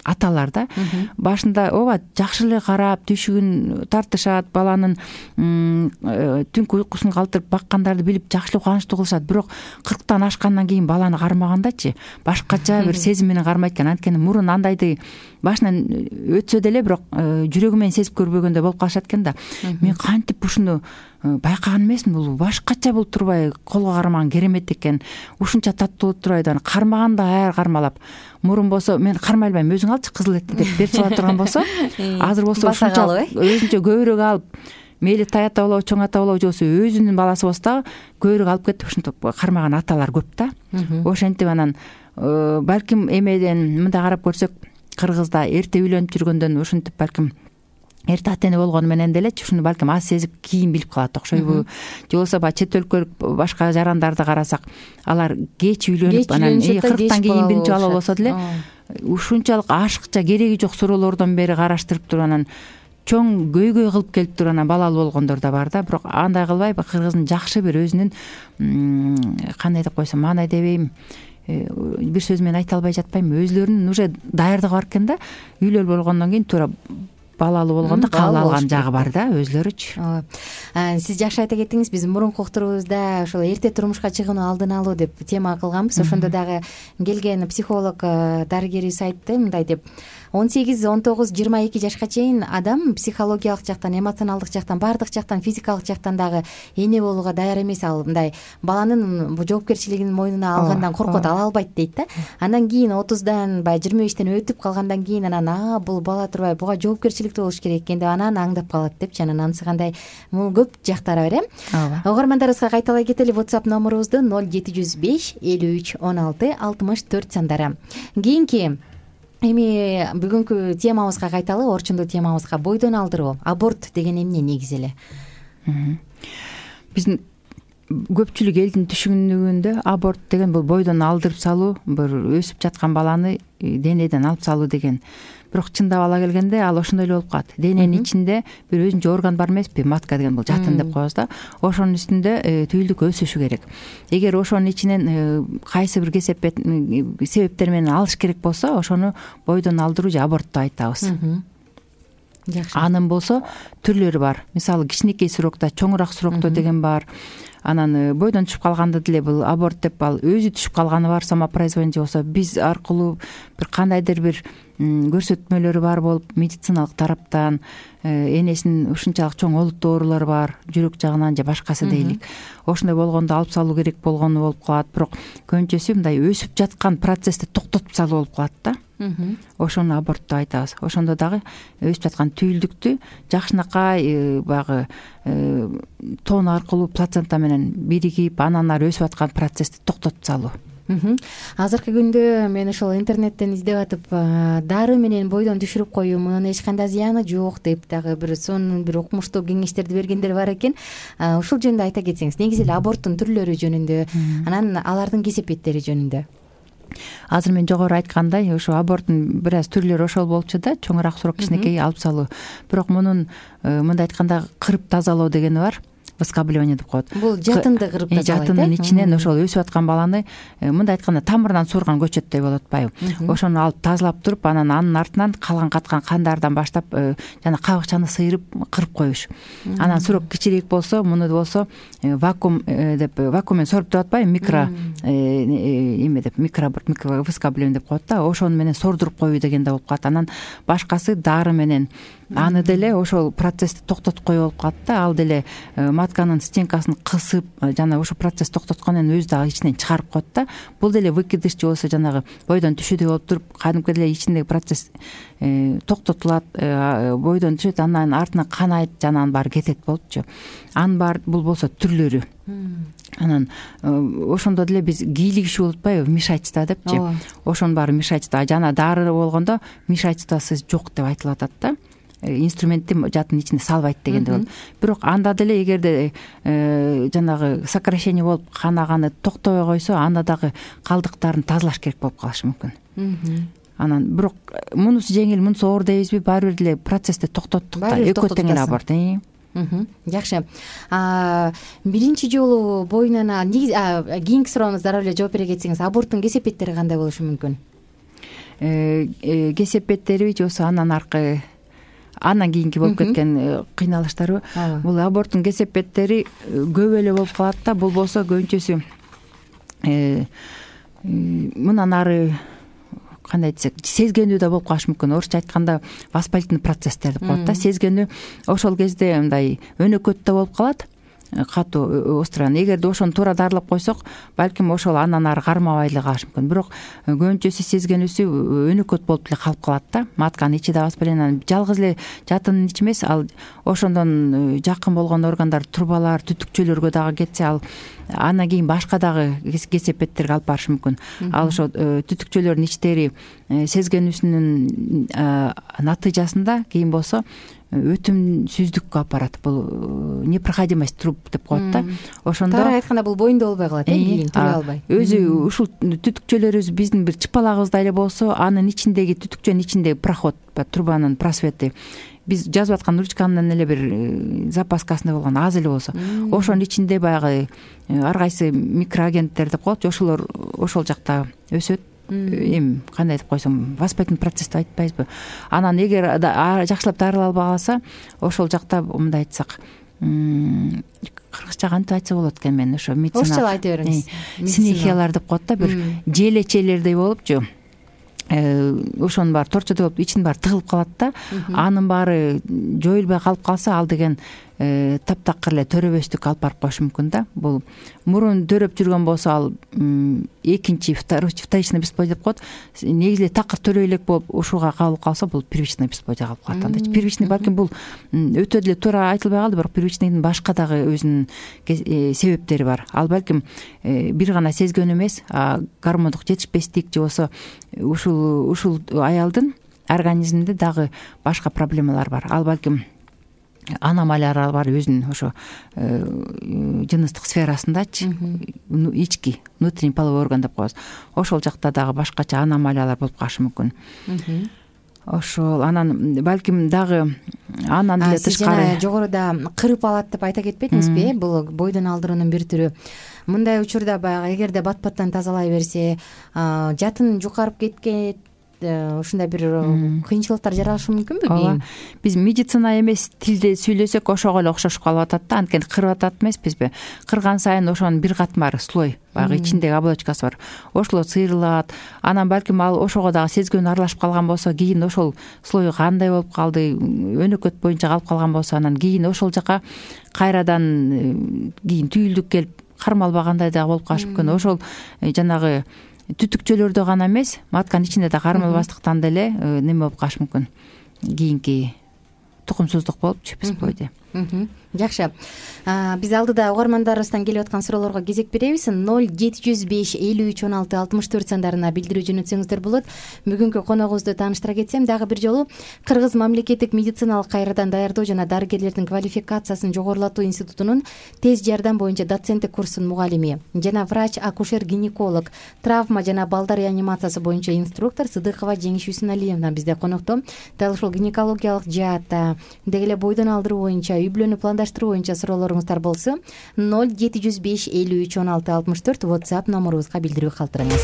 аталар да башында ооба жакшы эле карап, түшүгүн тартышат, баланын түнкү уйкусун калтырып баккандарды билип жакшы эле кубанычтуу кылышат. Бирок 40тан ашкандан кийин баланы кармагандачы башкача бир сезим менен кармайт экен. Анткени мурун андайды башынан өтсө деле, бирок жүрөгү менен сезип көрбөгөндөй болуп калышат экен да. Мен кантип ушуну байкаган эмесмин, бул башкача болуп турбай колго кармаган керемет экен, ушунча таттуу болуп турбайбы, аны кармаганда аяр кармалап. Мурун болсо мен кармай албайм, өзүң алчы кызыл этти деп берип сала турган болсо, азыр болсо ушунчалык өзүнчө көбүрөөк алып, мейли тай ата болобу, чоң ата болобу, же болбосо өзүнүн баласы болсо дагы көбүрөөк алып кетип ушинтип кармаган аталар көп да. Ошентип анан балким эмеден мындай карап көрсөк, кыргызда эрте үйлөнүп жүргөндөн ушинтип балким эрте ата эне болгону менен делечи ушуну балким аз сезип кийин билип калат окшойбу. Же болбосо баягы чет өлкөлүк башка жарандарды карасак, алар кеч үйлөнүп, анан 40тан кийин биринчи бала болсо деле ушунчалык ашыкча кереги жок суроолордон бери караштырып туруп анан чоң көйгөй кылып келип туруп анан балалуу болгондор да бар да. Бирок андай кылбай, кыргыздын жакшы бир өзүнүн кандай деп койсом, маанай дебейм, бир сөз менен айта албай жатпайм, өзүлөрүнүн уже даярдыгы бар экен да. Үйлөр болгондон кийин туура балалуу болгондо кабыл алган жагы бар да өзүлөрүчү. Сиз жакшы айта кеттиңиз. Биз мурунку уктуруубузда ошол эрте турмушка чыгууну алдын алуу деп тема кылганбыз. Ошондо дагы келген психолог дарыгерибиз айтты мындай деп: 18, 19, 22 жашка чейин адам психологиялык жактан, эмоционалдык жактан, баардык жактан, физикалык жактан дагы эне болууга даяр эмес. Ал мындай баланын жоопкерчилигин мойнуна алгандан коркот, ала албайт дейт да. Андан кийин 30дан, баягы 25тен өтүп калгандан кийин анан бул бала турбай, буга жоопкерчиликтүү болуш керек экен деп анан аңдап калат депчи. Анан анысы кандай, бул көп жактары бар Угармандарыбызга кайталай кетели. WhatsApp номерубузду 0705 53 16 64 сандары. Кийинки эми бүгүнкү темабызга кайталы, орчундуу темабызга. Бойдон алдыруу, аборт деген эмне негизи эле? Биздин көпчүлүк элдин түшүнүгүндө аборт деген бул бойдон алдырып салуу, бир өсүп жаткан баланы денеден алып салуу деген. Бирок чындап ала келгенде ал ошондой эле болуп калат. Дененин ичинде бир өзүнчө орган бар эмеспи, матка деген, бул жатын деп коебуз да. Ошонун үстүндө түйүлдүк өсүшү керек. Эгер ошонун ичинен кайсы бир себептер менен алыш керек болсо, ошону бойдон алдыруу же аборт деп айтабыз. Жакшы. Анын болсо түрлөрү бар. Мисалы кичинекей срокто, чоңураак срокто деген бар. Анан бойдон түшүп калганда деле бул аборт деп, ал өзү түшүп калганы бар, самопроизвольный, же болсо биз аркылуу бир кандайдыр бир көрсөтмөлөрү бар болуп, медициналык тараптан энесинин ушунчалык чоң олуттуу оорулары бар, жүрөк жагынан же башкасы дейлик. Ошондой болгондо алып салуу керек болгону болуп калат. Бирок көбүнчөсү мындай өсүп жаткан процессти токтотуп салуу болуп калат да. Ошону аборт деп айтабыз. Ошондо дагы өсүп жаткан түйүлдүктү жакшынакай баягы тон аркылуу плацента менен биригип, анан ары өсүп аткан процессти токтотуп салуу. Азыркы күндө мен ошол интернеттен издеп атып, дары менен бойдон түшүрүп коюу, мунун эч кандай зыяны жок деп дагы бир сонун бир укмуштуу кеңештерди бергендер бар экен. Ушул жөнүндө айта кетсеңиз, негизи эле аборттун түрлөрү жөнүндө, анан алардын кесепеттери жөнүндө. Азыр мен жогору айткандай, ошо аборттун бир аз түрлөрү ошол болчу да, чоңураак срок, кичинекей алып салуу. Бирок мунун мындай айтканда кырып тазалоо дегени бар. Выскабливание деп коет. Бул жатынды кырып тазалайт. Жатынын ичинен ошол өсүп аткан баланы мындай айтканда тамырынан суурган көчөттөй болуп атпайбы. Ошону алып тазалап туруп, анан анын артынан калган каткан кандардан баштап жана кабыкчаны сыйрып кырып коюш. Анан срок кичирээк болсо, муну болсо вакуум деп, вакууммен соруп деп атпайбы, микро эме деп, выскабливание деп коет да. Ошону менен сордуруп коюу деген да болуп калат. Анан башкасы дары менен аны деле ошол процессти токтоткой болуп калат да. Ал деле матканын стенкасын кысып жана ошол процесс токтоткондон өзү дагы ичинен чыгарып коет да. Бул деле выкидыш же болбосо жанагы бойдон түшүүдөй болуп туруп кадимки деле ичиндеги процесс токтотулат, бойдон түшөт, андан артынан канайт, жана анын баары кетет болупчу. Анын баары бул болсо түрлөрү. Анан ошондо деле биз кийлигишүү болуп атпайбы, вмешательство депчи. Ошонун баары вмешательство. Жана дары болгондо вмешательствосу жок деп айтылып атат да. Инструментти жатын ичине салбайт дегенде болот. Бирок анда деле эгерде жанагы сокращение болуп канаганы токтобой койсо, анда дагы калдыктарын тазалаш керек болуп калышы мүмкүн. Анан бирок мунусу жеңил, мунусу оор дейбизби, баары бир деле процессти токтоттук да. Экөө тең эле аборт. Жакшы. Биринчи жолу боюнан кийинки сурооңузга дароо эле жооп бере кетсеңиз, аборттун кесепеттери кандай болушу мүмкүн? Кесепеттери же болбосо андан кийинки болуп кеткен кыйналыштарбы? Бул аборттун кесепеттери көп эле болуп калат да. Бул болсо көбүнчөсү мындан ары кандай десек, сезгенүү да болуп калышы мүмкүн. Орусча айтканда воспалительный процесстер деп коет да. Сезгенүү ошол кезде мындай өнөкөт да болуп калат, катуу остуран. Эгерде ошону туура дарылап койсок, балким ошол андан ары кармабай эле калышы мүмкүн. Бирок көбүнчөсү сезгенүүсү өнөкөт болуп эле калып калат да. Матканын ичи да воспаление, жалгыз эле жатынын ичи эмес, ал ошондон жакын болгон органдар, трубалар, түтүкчөлөргө дагы кетсе, ал андан кийин башка дагы кесепеттерге алып барышы мүмкүн. Ал ошо түтүкчөлөрдүн ичтери сезгенүүсүнүн натыйжасында кийин болсо өтүмсүздүккө алып барат. Бул непроходимость труб деп коет да. Ошондо туура айтканда бул боюнда болбой калат, кийин туруй албай. Өзү ушул түтүкчөлөрүбүз биздин бир чыпалагыбыздай эле болсо, анын ичиндеги түтүкчөнүн ичиндеги проход, трубанын просвети биз жазып аткан ручканын эле бир запаскасында болгон аз эле болсо, ошонун ичинде баягы ар кайсы микроагенттер деп коет, ошолор ошол жакта өсөт. Эми кандай деп койсом, воспалительный процесс деп айтпайбызбы? Анан эгер жакшылап дарылалбай калса, ошол жакта мындай айтсак, кыргызча кантип айтса болот экен, мен ошо медицина орусча айта бериңиз. Синехиялар деп коет да, бир желечелердей болупчу. Ошонун баары торчодой болуп, ичинин баары тыгылып калат да. Анын баары жоюлбай калып калса, ал деген таптакыр эле төрөбөстүккө алып барып коюшу мүмкүн да. Бул мурун төрөп жүргөн болсо, ал экинчи, вторичный бесплодие деп коет. Негизи такыр төрөй элек болуп ушуга кабылып калса, бул первичный бесплодие калып калат анда. Первичный балким бул өтө деле туура айтылбай калды, бирок первичныйдын башка дагы өзүнүн себептери бар. Ал балким бир гана сезгенүү эмес, гормондук жетишпестик же болсо ушул аялдын организминде дагы башка проблемалар бар. Ал балким аномалиялар бар өзүнүн ошо жыныстык сферасындачы, ички, внутренний половой орган деп коебуз. Ошол жакта дагы башкача аномалиялар болуп калышы мүмкүн. Ошол анан балким дагы андан деле тышкары. Сиз жогоруда кырып алат деп айта кетпедиңизби? Бул бойдон алдыруунун бир түрү. Мындай учурда баягы эгерде бат-баттан тазалай берсе, жатын жукарып кеткен, ушундай бир кыйынчылыктар жаралышы мүмкүнбү? Ооба. Биз медицина эмес тилде сүйлөсөк ошого эле окшошуп калып атат да. Анткени кырып атат эмеспизби? Кырган сайын ошонун бир катмар слой, баягы ичиндеги оболочкасы бар. Ошол сыйрылат. Анан балким ал ошого дагы сезгөнү аралашып калган болсо, кийин ошол слой кандай болуп калды, өнөкөт боюнча калып калган болсо, анан кийин ошол жака кайрадан кийин түйүлдүк келип кармалбагандай дагы болуп калышы мүмкүн. Ошол жанагы түтүкчөлөрдө гана эмес, матканын ичинде да кармалбастыктан деле неме болуп калышы мүмкүн. Кийинки тукумсуздук болупчу, бесплодие. Жакшы. Биз алдыда угармандарыбыздан келип аткан суроолорго кезек беребиз. 0705 53 16 64 сандарына билдирүү жөнөтсөңүздөр болот. Бүгүнкү коногубузду тааныштыра кетсем, дагы бир жолу Кыргыз мамлекеттик медициналык кайрадан даярдоо жана дарыгерлердин квалификациясын жогорулатуу институтунун тез жардам боюнча доценттик курсунун мугалими жана врач-акушер-гинеколог, травма жана балдар реанимациясы боюнча инструктор Сыдыкова Жеңиш Үсүналиевна бизде конокто. Дал ушул гинекологиялык жаатта, деги эле бойдон алдыруу боюнча, үй бүлөнү пландаштыруу боюнча суроолоруңуздар болсо, 0705 53 16 64 WhatsApp номерубузга билдирүү калтырыңыз.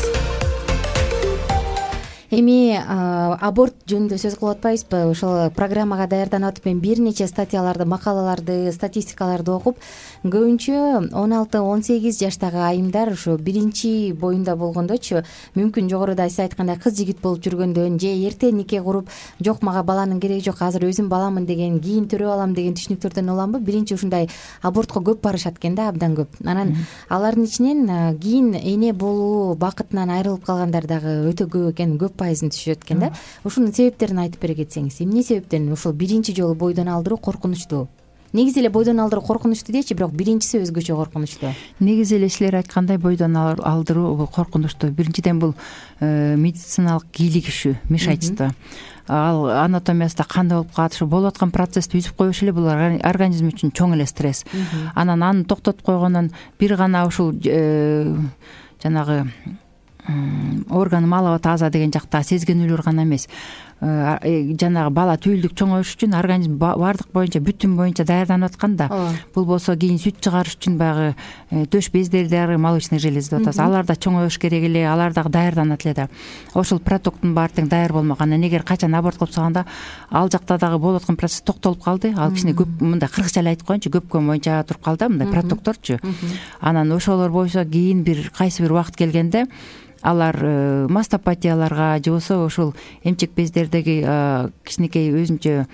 Эми аборт жөнүндө сөз кылып атпайбызбы? Ошол программага даярданып атып мен бир нече статьяларды, макалаларды, статистикаларды окуп, көбүнчө 16-18 жаштагы айымдар ошо биринчи боюнда болгондочу, мүмкүн жогоруда сиз айткандай кыз жигит болуп жүргөндөн же эрте нике куруп, жок мага баланын кереги жок, азыр өзүм баламын деген, кийин төрөп алам деген түшүнүктөрдөн уламбы? Биринчи ушундай абортко көп барышат экен да, абдан көп. Анан алардын ичинен кийин эне болуу бакытынан айрылып калгандар дагы өтө көп экен, көп пайызын түшүшөт экен да. Ушунун себептерин айтып бере кетсеңиз, эмне себептен ушул биринчи жолу бойдон алдыруу коркунучтуу? Негизи эле бойдон алдыруу коркунучтуу дечи, бирок биринчиси өзгөчө коркунучтуу. Негизи эле силер айткандай бойдон алдыруу коркунучтуу. Биринчиден бул медициналык кийлигишүү, вмешательство. Ал анатомиясында кандай болуп калат, ушу болуп аткан процессти үзүп коюш эле бул организм үчүн чоң эле стресс. Анан аны токтотуп койгондон бир гана ушул жанагы орган малова таза деген жакта сезгенүүлөр гана эмес, жанагы бала түйүлдүк чоңоюш үчүн организм баардык боюнча, бүтүн боюнча даярданып атканда, бул болсо кийин сүт чыгарыш үчүн баягы төш бездери дагы молочный железа деп атабыз. Алар да чоңоюш керек эле, алар дагы даярданат эле да. Ошол протоктун баары тең даяр болмаган. Эгер качан аборт кылып салганда ал жакта дагы болуп аткан процесс токтолуп калды. Ал кичине көп, мындай кыргызча эле айтып коеюнчу, көпкө боюнча туруп калды, мындай протокторчу. Анан ошолор боюнча кийин кайсы бир убакыт келгенде алар мастопатияларга же болбосо ошол эмчек бездердеги кичинекей өзүнчө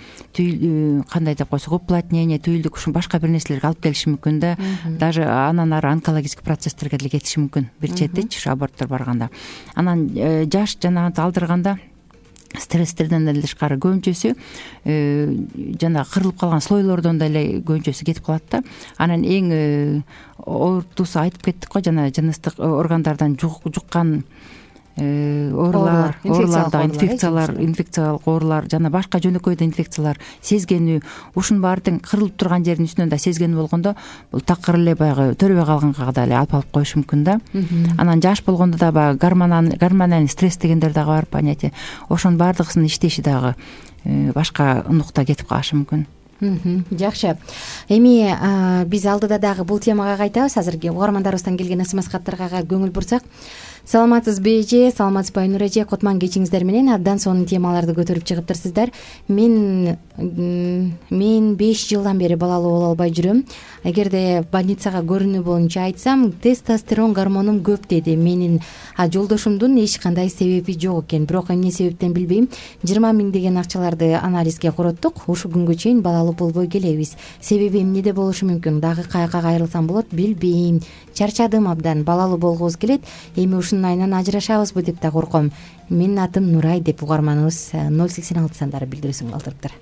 кандай деп койсок, уплотнение, түйүлдүк, ушул башка бир нерселерге алып келиши мүмкүн да. Даже анан ары онкологический процесстерге деле кетиши мүмкүн бир четичи ушу аборттор барганда. Анан жаш жанагынтип алдырганда стресстерден эле тышкары көбүнчөсү жанагы кырылып калган слойлордон деле көбүнчөсү кетип калат да. Анан эң ортусу айтып кеттик го, жана жыныстык органдардан жуккан оорулар, инфекциялык оорулар, жана башка жөнөкөй да инфекциялар, сезгенүү, ушунун баары тең кырылып турган жердин үстүнөн да сезгенүү болгондо, бул такыр эле баягы төрөбөй калганга да алып коюшу мүмкүн да. Анан жаш болгондо да баягы гормональный стресс дегендер дагы бар, понятие. Ошонун баардыгысынын иштеши дагы башка нукта кетип калышы мүмкүн. Жакшы. Эми биз алдыда дагы бул темага кайтабыз. Азыр угармандарыбыздан келген смс-каттарга көңүл бурсак, саламатсызбы эже, саламатсызбы Айнур эже, Котман кечиңиздер менен абдан сонун темаларды көтөрүп чыгыптырсыздар. Мен 5 жылдан бери балалуу боло албай жүрөм. Эгерде больницага көрүнүү боюнча айтсам, тестостерон гормонум көп деди. Менин жолдошумдун эч кандай себеби жок экен. Бирок эмне себептен билбейм, 20 000 деген акчаларды анализге короттук. Ушул күнгө чейин балалуу болбой келебиз. Себеби эмнеде болушу мүмкүн? Дагы каяка кайрылсам болот, билбейм. Чарчадым абдан, балалуу болгубуз келет. Эми ушунун айынан ажырашабызбы деп да корком. Менин атым Нурай деп угарманыбыз 086 сандары билдирүүсүн калтырыптыр.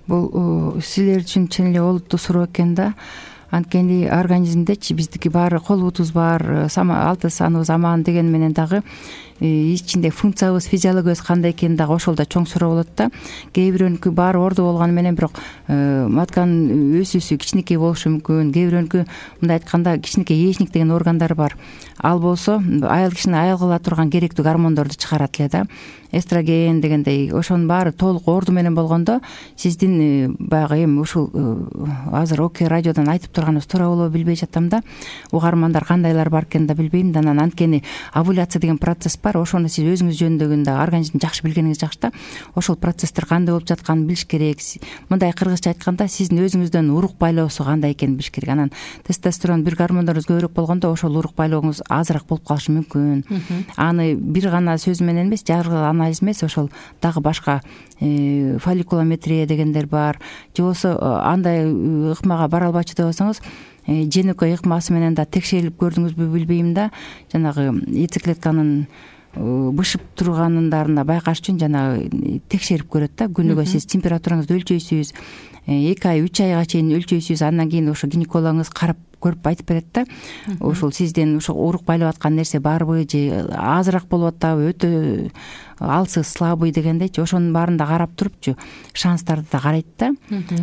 Бул силер үчүн чын эле олуттуу суроо экен да. Анткени организмдечи биздики баары колубуз бар, алты саныбыз аман деген менен дагы ичинде функциябыз, физиологиябыз кандай экени дагы ошол да чоң суроо болот да. Кээ бирөөнүкү баары ордо болгону менен бирок матканын өсүүсү кичинекей болушу мүмкүн. Кээ бирөөнүкү мындай айтканда кичинекей яичник деген органдар бар. Ал болсо аял кишини аял кыла турган керектүү гормондорду чыгарат эле да. Эстроген дегендей, ошонун баары толук орду менен болгондо сиздин баягы эми ушул азыр ОК радиодон айтып турганыбыз туура болобу билбей жатам да. Угармандар кандайлар бар экенин да билбейм да. Анан анткени овуляция деген процесс бар. Ошону сиз өзүңүз жөнүндөгүндө организмди жакшы билгениңиз жакшы да. Ошол процесстер кандай болуп жатканын билиш керек. Мындай кыргызча айтканда, сиздин өзүңүздөн урук байлоосу кандай экенин билиш керек. Анан тестостерон бир гормондорубуз көбүрөөк болгондо ошол урук байлооңуз азыраак болуп калышы мүмкүн. Аны бир гана сөз менен эмес, жаргыл анализ эмес, ошол дагы башка фолликулометрия дегендер бар. Же болбосо андай ыкмага бара албайчу деп болсоңуз, женөкөй ыкмасы менен да текшерилип көрдүңүзбү билбейм да. Жанагы яйцеклетканын бышып турганындарына байкаш үчүн жанагы текшерип көрөт да. Күнүгө сиз температураңызды өлчөйсүз, 2 ай 3 айга чейин өлчөйсүз. Андан кийин ошо гинекологуңуз карап көрүп айтып берет да. Ошол сизден ошо урук байлап аткан нерсе барбы, же азыраак болуп атабы, өтө алсыз, слабый дегендейчи, ошонун баарын да карап турупчу шанстарды да карайт да.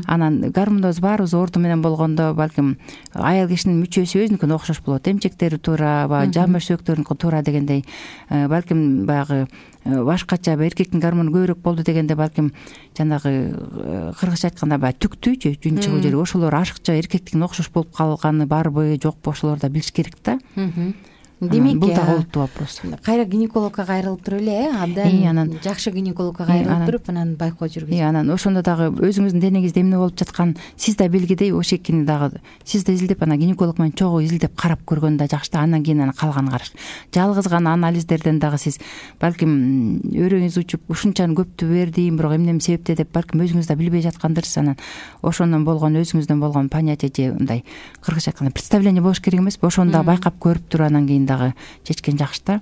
Анан гормондорубуз баарыбыз орду менен болгондо балким аял кишинин мүчөсү өзүнүкүнө окшош болот. Эмчектери туура, жан бөшөктөрүнүкү туура дегендей, балким баягы башкача эркектин гормону көбүрөөк болду дегенде балким жанагы кыргызча айтканда баягы түктүүчү жүн чыгуу жери, ошолор ашыкча эркектикине окшош болуп калганы барбы, жокпу, ошолорду да билиш керек да. демек бул да олуттуу вопрос. Кайра гинекологко кайрылып туруп эле, абдан анан жакшы гинекологко кайрылып туруп анан байкоо жүргүзүп. Анан ошондо дагы өзүңүздүн денеңизде эмне болуп жаткан сиз да белгидей ошекини дагы сиз да изилдеп, анан гинеколог менен чогуу изилдеп карап көргөн да жакшы да. Андан кийин анан калганын караш. Жалгыз гана анализдерден дагы сиз балким өрөөңүз учуп ушунчаны көптү бердим, бирок эмне себепте деп балким өзүңүз да билбей жаткандырсыз. Анан ошондон болгон өзүңүздөн болгон понятие же мындай кыргызча айтканда представление болуш керек эмеспи? Ошону да байкап көрүп туруп анан кийин дагы чечкен жакшы да.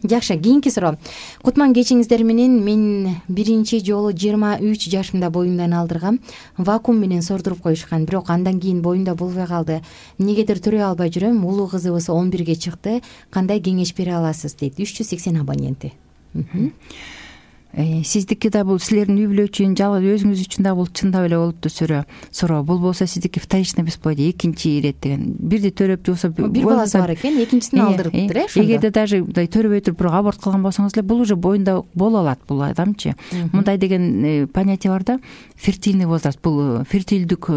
Жакшы, кийинки суроо. Кутман кечиңиздер менен мен биринчи жолу 23 жашымда боюмдан алдыргам. Вакуум менен сордуруп коюшкан, бирок андан кийин боюмда болбой калды. Эмнегедир төрөй албай жүрөм. Улуу кызыбыз 11ге чыкты. Кандай кеңеш бере аласыз дейт 380 абоненти. Сиздики да бул силердин үй бүлө үчүн, жалгыз өзүңүз үчүн да бул чындап эле олуттуу суроо. Бул болсо сиздики вторичный бесплодие, экинчи ирет деген. Бирди төрөп жоксо бир баласы бар экен, экинчисин алдырыптыр ошондо. Эгерде даже төрөбөй туруп бирок аборт кылган болсоңуз эле бул уже боюнда боло алат бул адамчы. Мындай деген понятие бар да, фертильный возраст. Бул фертилдүк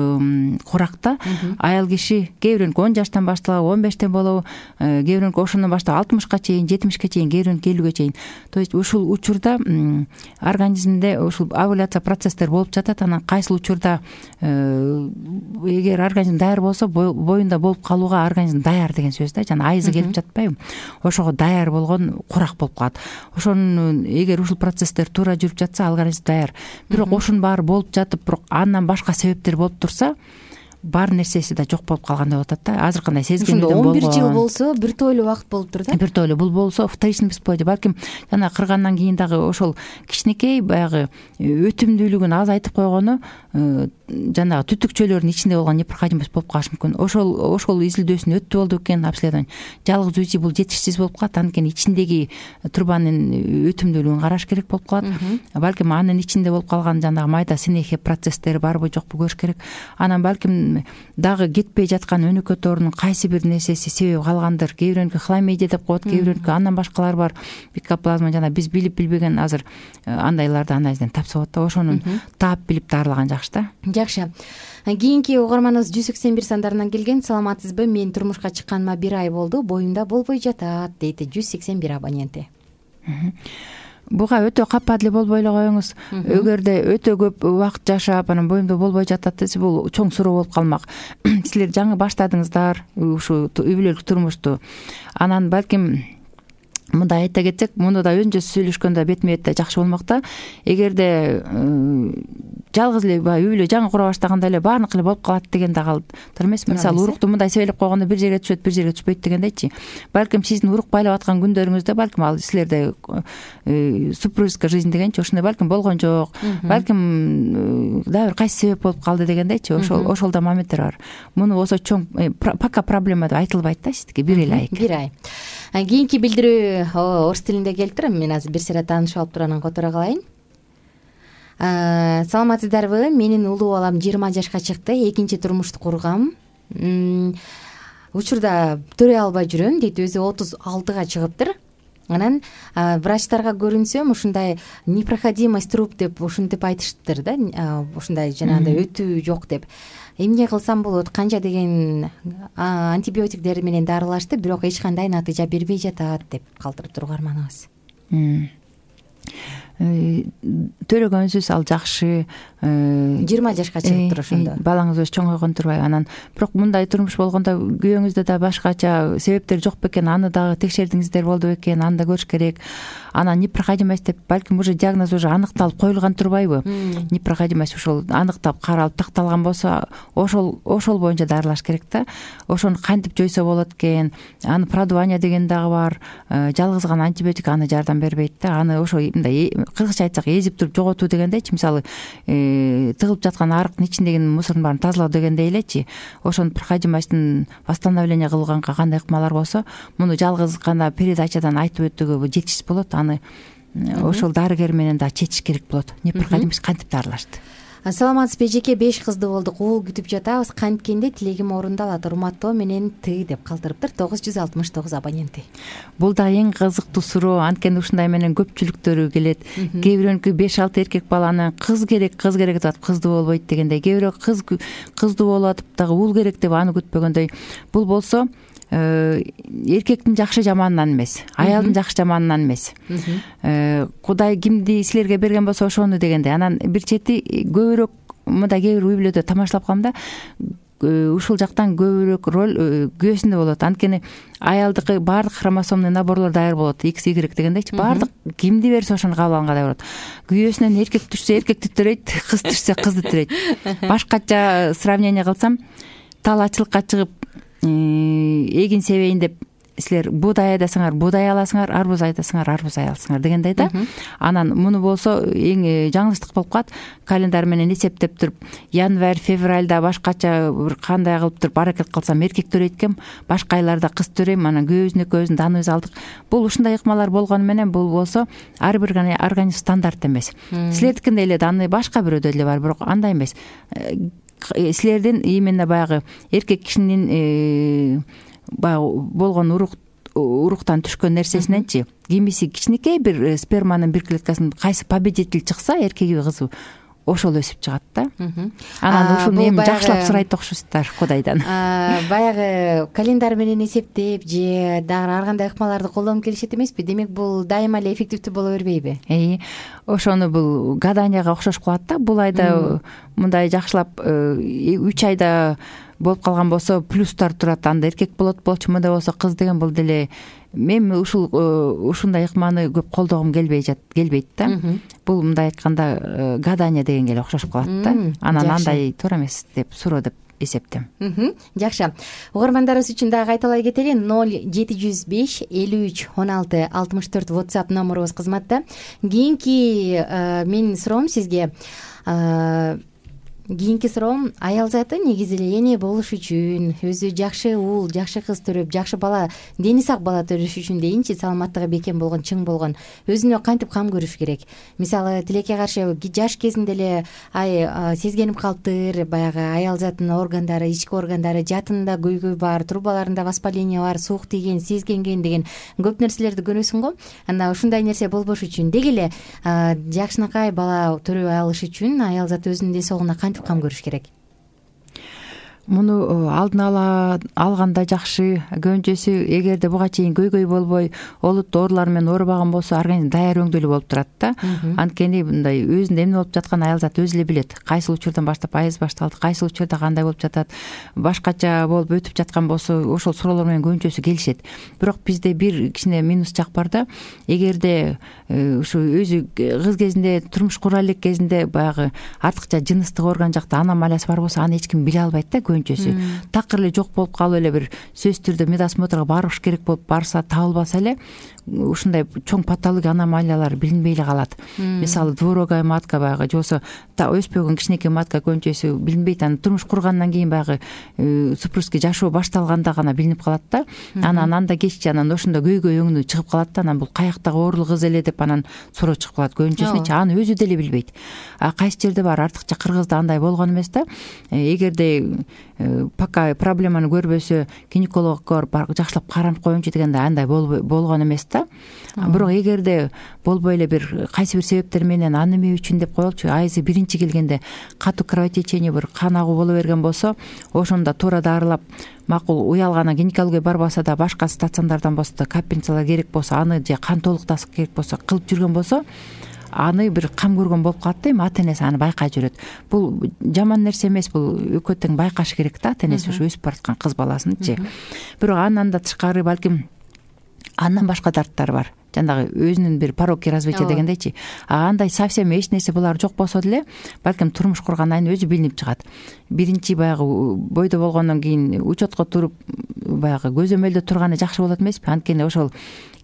куракта аял киши кээ бирөөнүкү 10 жаштан башталабы, 15тен болобу, кээ бирөөнүкү ошондон баштап 60ка чейин, 70ке чейин, кээ бирөөнүкү 50ге чейин. То есть ушул учурда организмде ушул овуляция процесстер болуп жатат. Анан кайсыл учурда эгер организм даяр болсо боюнда болуп калууга организм даяр деген сөз да. Жана айызы келип жатпайбы? Ошого даяр болгон курак болуп калат. Ошонун эгер ушул процесстер туура жүрүп жатса организм даяр. Бирок ошонун баары болуп жатып, бирок андан башка себептер болуп турса, бар нерсеси да жок болуп калгандай болуп атат да. Азыр кандай сезгенден болгон. 11 жыл болсо бир тойлуу убакыт болуптур да. Бир тойлуу бул болсо вторичный бесплодие. Балким жана кыргандан кийин дагы ошол кичинекей баягы өтүмдүүлүгүн аз айтып койгону жанагы түтүкчөлөрдүн ичинде болгон непроходимость болуп калышы мүмкүн. Ошол изилдөөсүн өттү болду экен обследование. Жалгыз УЗИ бул жетишсиз болуп калат. Анткени ичиндеги трубанын өтүмдүүлүгүн караш керек болуп калат. Балким анын ичинде болуп калган жанагы майда синехия процесстери барбы жокпу көрүш керек. Анан балким дагы кетпей жаткан өнөкөт тоорунун кайсы бир нерсеси себеби калгандыр. Кээ бирөөнүкү хламидия деп коет, кээ бирөөнүкү андан башкалар бар. Микоплазма жана биз билип билбеген азыр андайларды анализден тапса болот да. Ошонун таап билип дарылаган жакшы да. Жакшы. Кийинки угарманыбыз 181 сандарынан келген. Саламатсызбы? Мен турмушка чыкканыма 1 ай болду. Боюмда болбой жатат дейт 181 абоненти. Буга өтө капа деле болбой эле коюңуз. Эгерде өтө көп убакыт жашап, анан боюмда болбой жатат десе, бул чоң суроо болуп калмак. Силер жаңы баштадыңыздар ушу үй бүлөлүк турмушту. Анан балким мындай айта кетсек, муну да өзүнчө сүйлөшкөндө бетме бет жакшы болмок да. Эгерде жалгыз эле үй бүлө жаңы кура баштаганда эле баардык эле болуп калат деген да калтыр эмеспи? Мисалы урукту мындай себелеп койгондо бир жерге түшөт, бир жерге түшпөйт дегендейчи. Балким сиздин урук байлап аткан күндөрүңүздө балким ал силерде супружеская жизнь дегенчи ошондой балким болгон жок. Балким дагы бир кайсы себеп болуп калды дегендейчи. Ошол да моменттер бар. Муну болсо чоң пока проблема деп айтылбайт да сиздики. 1 ай. 1 ай. Кийинки билдирүү орус тилинде келиптир. Мен азыр бир сыйра таанышып алып туруп анан которо калайын. Саламатсыздарбы? Менин улуу балам 20 жашка чыкты. Экинчи турмушту кургам. Учурда төрөй албай жүрөм дейт. Өзү 36га чыгыптыр. Анан врачтарга көрүнсөм, ушундай непроходимость труп деп ушинтип айтыштыр да. Ушундай жанагындай өтүү жок деп. Эмне кылсам болот? Канча деген антибиотиктер менен дарылашты, бирок эч кандай натыйжа бербей жатат деп калтырып турганманыбыз. Төрөгөнсүз ал жакшы. 20 жашка чыгыптыр ошондо. Балаңыз өз чоңойгон турбайбы? Анан бирок мындай турмуш болгондо күйөөңүздө да башкача себептер жок бекен, аны дагы текшердиңиздер болду бекен, аны да көрүш керек. Анан непроходимость деп балким уже диагноз уже аныкталып коюлган турбайбы? Непроходимость ушул аныктап каралып такталган болсо, ошол боюнча дарылаш керек да. Ошону кантип жойсо болот экен? Аны продувание деген дагы бар. Жалгыз гана антибиотик аны жардам бербейт да. Аны ошо мындай кыргызча айтсак эзип туруп жоготуу дегендейчи. Мисалы тыгылып жаткан арыктын ичиндеги мусордун баарын тазалоо дегендей элечи. Ошону проходимостун восстановление кылганга кандай ыкмалар болсо, муну жалгыз гана передачадан айтып өтүүгө жетишсиз болот. Аны ошол дарыгер менен да чечиш керек болот. Непроходимость кантип дарылашты? Саламатсызбы эжеке? 5 кызды болдук, уул күтүп жатабыз. Канткенде тилегим орундалат. Урматтоо менен Т деп калтырыптыр 969 абоненти. Бул да эң кызыктуу суроо. Анткени ушундай менен көпчүлүктөрү келет. Кээ бирөөнүкү 5-6 эркек баланы кыз керек деп атып кыздуу болбойт дегендей. Кээ бирөө кыздуу болуп атып дагы уул керек деп аны күтпөгөндөй. Бул болсо эркектин жакшы жаманынан эмес, аялдын жакшы жаманынан эмес. Кудай кимди силерге берген болсо ошону дегенде. Анан бир чети көбүрөөк мындай кээ бир үй бүлөдө тамашалап калам да, ушул жактан көбүрөөк роль күйөөсүндө болот. Анткени аялдыкы баардык хромосомный наборлор даяр болот, XY дегендейчи, баардык кимди берсе ошону кабыл алганга даяр болот. Күйөөсүнөн эркек түшсө эркекти төрөйт, кыз түшсө кызды төрөйт. Башкача сравнение кылсам, тал ачылыкка чыгып эгин себейин деп силер буудай айдасаңар буудай аласыңар, арбуз айдасаңар арбуз аласыңар дегендей да. Анан муну болсо эң жаңылыштык болуп калат. Календар менен эсептеп туруп, январь, февральда башкача бир кандай кылып туруп аракет кылсам эркек төрөйт экен, башка айларда кыз төрөйм, анан күйөөбүздүн экөөбүздүн даныбызды алдык. Бул ушундай ыкмалар болгону менен бул болсо ар бир организм стандарт эмес. Силердикинде эле даны башка бирөөдө эле бар, бирок андай эмес. Силердин именно баягы эркек кишинин болгон уруктан түшкөн нерсесиненчи кимиси кичинекей бир сперманын бир клеткасын кайсы победитель чыкса, эркеги кызы ошол өсүп чыгат да. Анан ушуну эми жакшылап сурайт окшойсуздар Кудайдан. Баягы календар менен эсептеп же дагы ар кандай ыкмаларды колдонуп келишет эмеспи? Демек бул дайыма эле эффективдүү боло бербейби? Ошону бул гаданияга окшош кылат да. Бул айда мындай жакшылап 3 айда болуп калган болсо плюстар турат, анда эркек болчу, мындай болсо кыз деген бул деле мен ушундай ыкманы көп колдогум келбейт да. Бул мындай айтканда гадания дегенге эле окшошуп калат да. Анан андай туура эмес деп суроо деп эсептем. Жакшы. Угармандарыбыз үчүн дагы кайталай кетели. 0705 53 16 64 WhatsApp номерубуз кызматта. Кийинки менин суроом сизге кийинки суроом, аял заты негизи эле эне болуш үчүн, өзү жакшы уул, жакшы кыз төрөп, жакшы бала, дени сак бала төрөш үчүн дейинчи, саламаттыгы бекем болгон, чың болгон, өзүнө кантип кам көрүш керек? Мисалы, тилекке каршы жаш кезинде эле сезгенип калыптыр, баягы аял затынын органдары, ички органдары жатында көйгөй бар, трубаларында воспаление бар, суук тийген, сезгенген деген көп нерселерди көрөсүң го. Анда ушундай нерсе болбош үчүн деги эле жакшынакай бала төрөй алыш үчүн аял заты өзүнүн ден соолугуна кантип кам көрүш керек? Муну алдын ала алганда жакшы. Көбүнчөсү эгерде буга чейин көйгөй болбой, олуттуу оорулар менен оорубаган болсо, организм даяр өңдөлүү болуп турат да. Анткени мындай өзүндө эмне болуп жатканын аял зат өзү эле билет. Кайсыл учурдан баштап айыз башталды, кайсыл учурда кандай болуп жатат, башкача болуп өтүп жаткан болсо, ошол суроолор менен көбүнчөсү келишет. Бирок бизде бир кичине минус жак бар да. Эгерде ушу өзү кыз кезинде, турмуш кура элек кезинде баягы артыкча жыныстык орган жакта аномалиясы бар болсо, аны эч ким биле албайт да. Такыр эле жок болуп калып эле бир сөзсүз түрдө медосмотрго барыш керек болуп барса, табылбаса эле ушундай чоң патология аномалиялар билинбей эле калат. Мисалы, двурогая матка баягы, же болбосо өспөгөн кичинекей матка көбүнчөсү билинбейт. Анан турмуш кургандан кийин баягы супружеский жашоо башталганда гана билинип калат да. Анан анда кеччи анан ошондо көйгөй өңүнү чыгып калат да. Анан бул каяктагы оорулуу кыз эле деп анан суроо чыгып калат. Көбүнчөсүнчү аны өзү деле билбейт. Кайсы жерде бар, артыкча кыргызда андай болгон эмес да. Эгерде пока проблеманы көрбөсө, гинекологко барып жакшылап каранып коеюнчу дегенде андай болгон эмес да. Бирок эгерде болбой эле бир кайсы бир себептер менен аны эмне үчүн деп коелучу, айызы биринчи келгенде катуу кровотечение, бир кан агуу боло берген болсо, ошондо туура дарылап, макул уялгандан гинекология барбаса да, башка стационардан болсо да, капельницалар керек болсо, аны же кан толуктасык керек болсо кылып жүргөн болсо, аны бир кам көргөн болуп калат да. Эми ата энеси аны байкай жүрөт. Бул жаман нерсе эмес, бул экөө тең байкаш керек да, ата энеси ушу өсүп бараткан кыз баласынчы. Бирок андан да тышкары балким андан башка дарттар бар. Жандагы өзүнүн бир пороки развития дегендейчи. Андай совсем эч нерсе булар жок болсо деле, балким турмуш кургандан кийин өзү билинип чыгат. Биринчи баягы бойдо болгондон кийин учетко туруп, баягы көзөмөлдө турганы жакшы болот эмеспи? Анткени ошол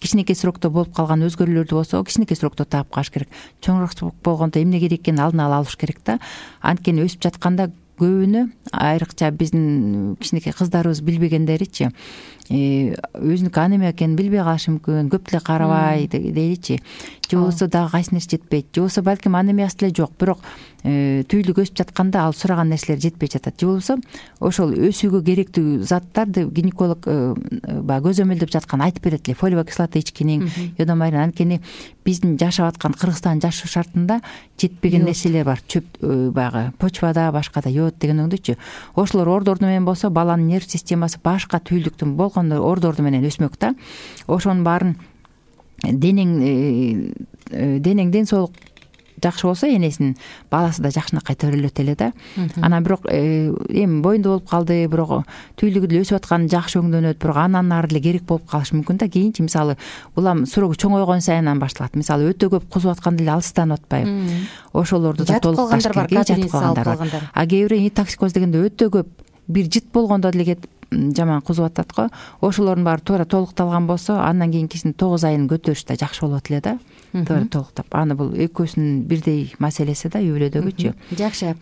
кичинекей срокто болуп калган өзгөрүүлөрдү болсо, кичинекей срокто таап калыш керек. Чоңураак болгондо эмне керек экенин алдын ала алыш керек да. Анткени өсүп жатканда көбүнө, айрыкча биздин кичинекей кыздарыбыз билбегендеричи, өзүнүкү анемия экенин билбей калышы мүмкүн, көп деле карабай дейличи. Же болбосо дагы кайсы нерсе жетпейт. Же болбосо балким анемиясы деле жок, бирок түйүлүк өсүп жатканда ал сураган нерселер жетпей жатат. Же болбосо ошол өсүүгө керектүү заттарды гинеколог баягы көзөмөлдөп жаткан айтып берет эле. Фолиевая кислота ичкиниң, йодомарин. Анткени биздин жашап аткан Кыргызстандын жашоо шартында жетпеген нерселер бар. Чөп баягы почвада, башкада йод деген өңдөчү. Ошолор ордорду менен болсо, баланын нерв системасы башка түйүлдүктүн толкондо ордорду менен өсмөк да. Ошонун баарын ден соолук жакшы болсо энесинин баласы да жакшынакай төрөлөт эле да. Анан бирок эми боюнда болуп калды, бирок түүлүгү деле өсүп аткан жакшы өңдөнөт, бирок андан ары деле керек болуп калышы мүмкүн да. Кийинчи мисалы улам суроо чоңойгон сайын башталат. Мисалы өтө көп кузуп атканда деле алыстанып атпайбы. Ошолорду да толукташ керек. Жатып калгандар бар. А кээ бирөө токсикоз дегенде өтө көп бир жыт болгондо деле кетип жаман кузуп атат го. Ошолордун баары туура толукталган болсо, андан кийинкисин 9 айын көтөрүш да жакшы болот эле да. Туура толуктап. Аны бул экөөсүнүн бирдей маселеси да, үй бүлөдөгүчү. Жакшы.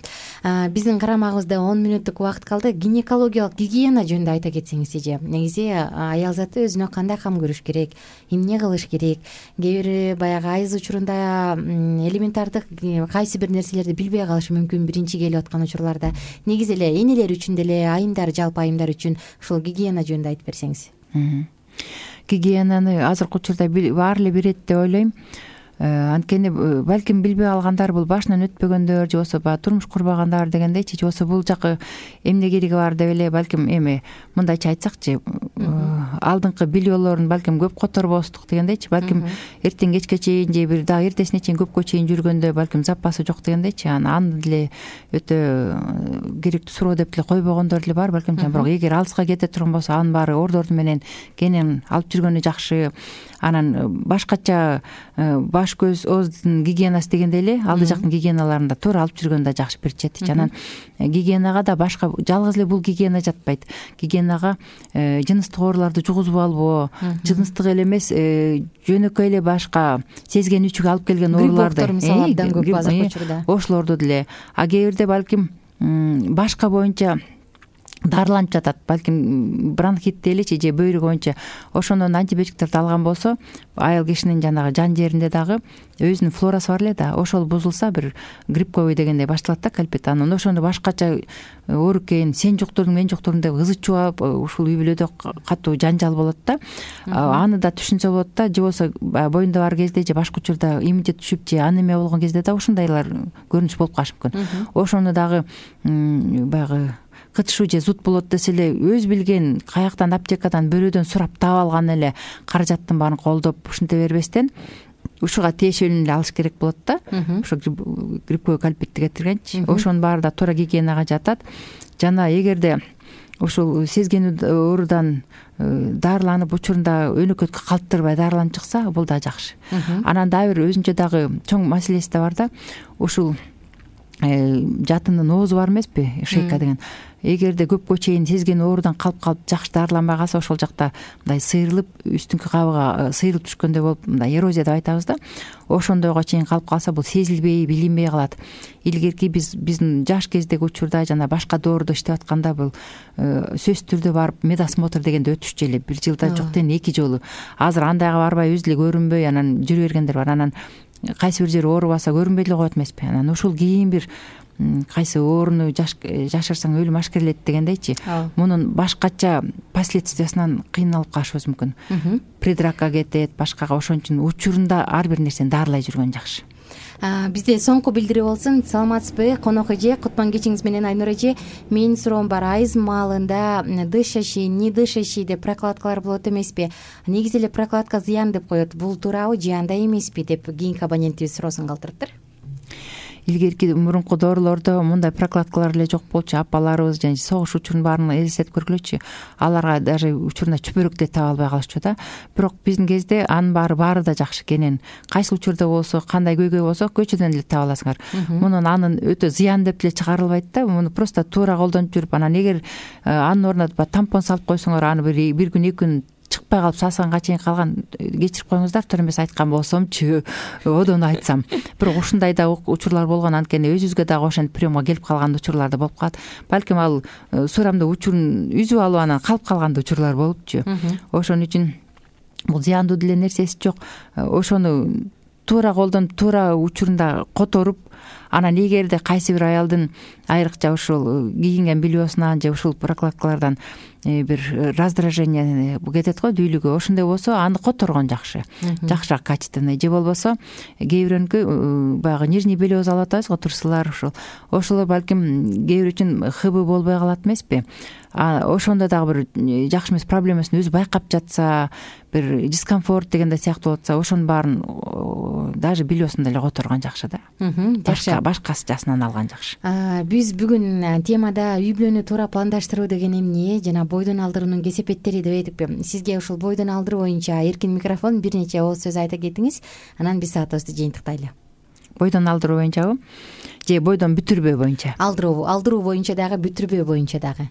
Биздин карамагыбызда 10 мүнөттүк убакыт калды. Гинекологиялык гигиена жөнүндө айта кетсеңиз эже. Негизи аял заты өзүнө кандай кам көрүш керек, эмне кылыш керек? Кээ бири баягы айыз учурунда элементардык кайсы бир нерселерди билбей калышы мүмкүн биринчи келип аткан учурларда. Негизи эле энелер үчүн деле, айымдар, жалпы айымдар үчүн ушул гигиена жөнүндө айтып берсеңиз. Гигиенаны азыркы учурда баары эле билет деп ойлойм. Анткени балким билбей калгандар бул башынан өтпөгөндөр же болбосо баягы турмуш курбагандар дегендейчи, же болбосо бул жакы эмне кереги бар деп эле балким эми мындайча айтсакчы, алдыңкы билиолорун балким көп которбостук дегендейчи, балким эртең кечке чейин же бир дагы эртесине чейин көпкө чейин жүргөндө балким запасы жок дегендейчи. Аны деле өтө керектүү суроо деп деле койбогондор деле бар балким. Бирок эгер алыска кете турган болсо анын баары ордорду менен кенен алып жүргөнү жакшы. Анан башкача баш көз ооздун гигиенасы дегенде эле алды жактын гигиеналарында туура алып жүргөн да жакшы бир четичи. Анан гигиенага да башка жалгыз эле бул гигиена жатпайт. Гигиенага жыныстык ооруларды жугузуп албоо, жыныстык эле эмес жөнөкөй эле башка сезген үчүгө алып келген ооруларды, мисалы абдан көп азыркы учурда ошолорду деле. А кээ бирде балким башка боюнча дарыланып жатат, балким бронхит делечи же бөйрөк боюнча ошондон антибиотиктерди алган болсо, аял кишинин жанагы жан жеринде дагы өзүнүн флорасы бар эле да. Ошол бузулса бир грипповый дегендей башталат да, кальпит. Анан ошону башкача оорукен, сен жуктурдуң, мен жуктурдум деп ызы чубап, ушул үй бүлөдө катуу жанжал болот да. Аны да түшүнсө болот да. Же болбосо боюнда бар кезде же башка учурда иммунитет түшүп же анемия болгон кезде да ушундайлар көрүнүш болуп калышы мүмкүн. Ошону дагы баягы кытышуу же зуд болот десе эле өз билген каяктан аптекадан бирөөдөн сурап таап алган эле каражаттын баарын колдоп ушинте бербестен ушуга тиешелүүнү эле алыш керек болот да. Ошо грипповый кальпитти кетиргенчи. Ошонун баары да туура гигиенага жатат. Жана эгерде ушул сезген оорудан дарыланып учурунда өнөкөткө калыптырбай дарыланып чыкса, бул да жакшы. Анан дагы бир өзүнчө дагы чоң маселеси да бар да. Ушул жатынын оозу бар эмеспи, шейка деген. Эгерде көпкө чейин сезген оорудан калып жакшы дарыланбай калса, ошол жакта мындай сыйрылып, үстүнкү кабыга сыйрылып түшкөндөй болуп, мындай эрозия деп айтабыз да. Ошондойго чейин калып калса, бул сезилбей, билинбей калат. Илгерки биздин жаш кездеги учурда жана башка доордо иштеп атканда бул сөзсүз түрдө барып медосмотр дегенди өтүшчү эле. Бир жылда жок дегенде 2 жолу. Азыр андайга барбай өзү эле көрүнбөй анан жүрө бергендер бар. Анан кайсы бир жери оорубаса көрүнбөй эле коет эмеспи. Анан ушул кийин бир кайсы ооруну жашырсаң өлүм ашкерелет дегендейчи. Мунун башкача последствиясынан кыйналып калышыбыз мүмкүн. Предракка кетет, башкага. Ошон үчүн учурунда ар бир нерсени дарылай жүргөн жакшы. Бизде соңку билдирүү болсун. Саламатсызбы, конок эже? Кутман кечиңиз менен, Айнур эже. Менин суроом бар. Айыз маалында дышащий, не дышащий деп прокладкалар болот эмеспи? Негизи эле прокладка зыян деп коет. Бул туурабы же андай эмеспи деп кийинки абонентибиз суроосун калтырыптыр. Илгерки мурунку доорулордо мындай прокладкалар эле жок болчу. Апаларыбыз жана согуш учурунун баарын элестетип көргүлөчү. Аларга даже учурунда чүпөрөк деле таба албай калышчу да. Бирок биздин кезде анын баары да жакшы кенен. Кайсы учурда болсо, кандай көйгөй болсо көчөдөн эле таба аласыңар. Мунун анын өтө зыян деп эле чыгарылбайт да. Муну просто туура колдонуп жүрүп, анан эгер анын ордуна тампон салып койсоңор, аны бир күн 2 күн чыкпай калып сасаганга чейин калган кечирип коюңуздар. Туура эмес айткан болсомчу, одон айтсам. Бирок ушундай да учурлар болгон, анткени өзүбүзгө дагы ошентип приемга келип калган учурлар да болуп калат. Балким ал сурамда учурун үзүп алып анан калып калган учурлар болупчу. Ошон үчүн бул зыяндуу деле нерсеси жок. Ошону туура колдонуп, туура учурунда которуп, Анан эгерде кайсы бир аялдын айрыкча ушул кийинген бельесунан же ушул прокладкалардан бир раздражение кетет го, дүүлүгү, ошондой болсо аны которгон жакшыраак качественный, же болбосо кээ бирөөнүкү баягы нижний белиоз алып атабыз го, турсулар ошолор балким кээ бир үчүн ХБ болбой калат эмеспи. Ошондо дагы бир жакшы эмес проблемасын өзү байкап жатса, бир дискомфорт дегенде сыяктуу болуп атса, ошонун баарын даже бельесун деле которгон жакшы да. Башкасынан алган жакшы. Биз бүгүн темада үй бүлөнү туура пландаштыруу деген эмне жана бойдон алдыруунун кесепеттери деп эдикпи. Сизге ушул бойдон алдыруу боюнча эркин микрофон, бир нече ооз сөз айта кетиңиз, анан биз саатыбызды жыйынтыктайлы. Бойдон алдыруу боюнчабы же бойдон бүтүрбөө боюнча? Алдыруу боюнча дагы, бүтүрбөө боюнча дагы.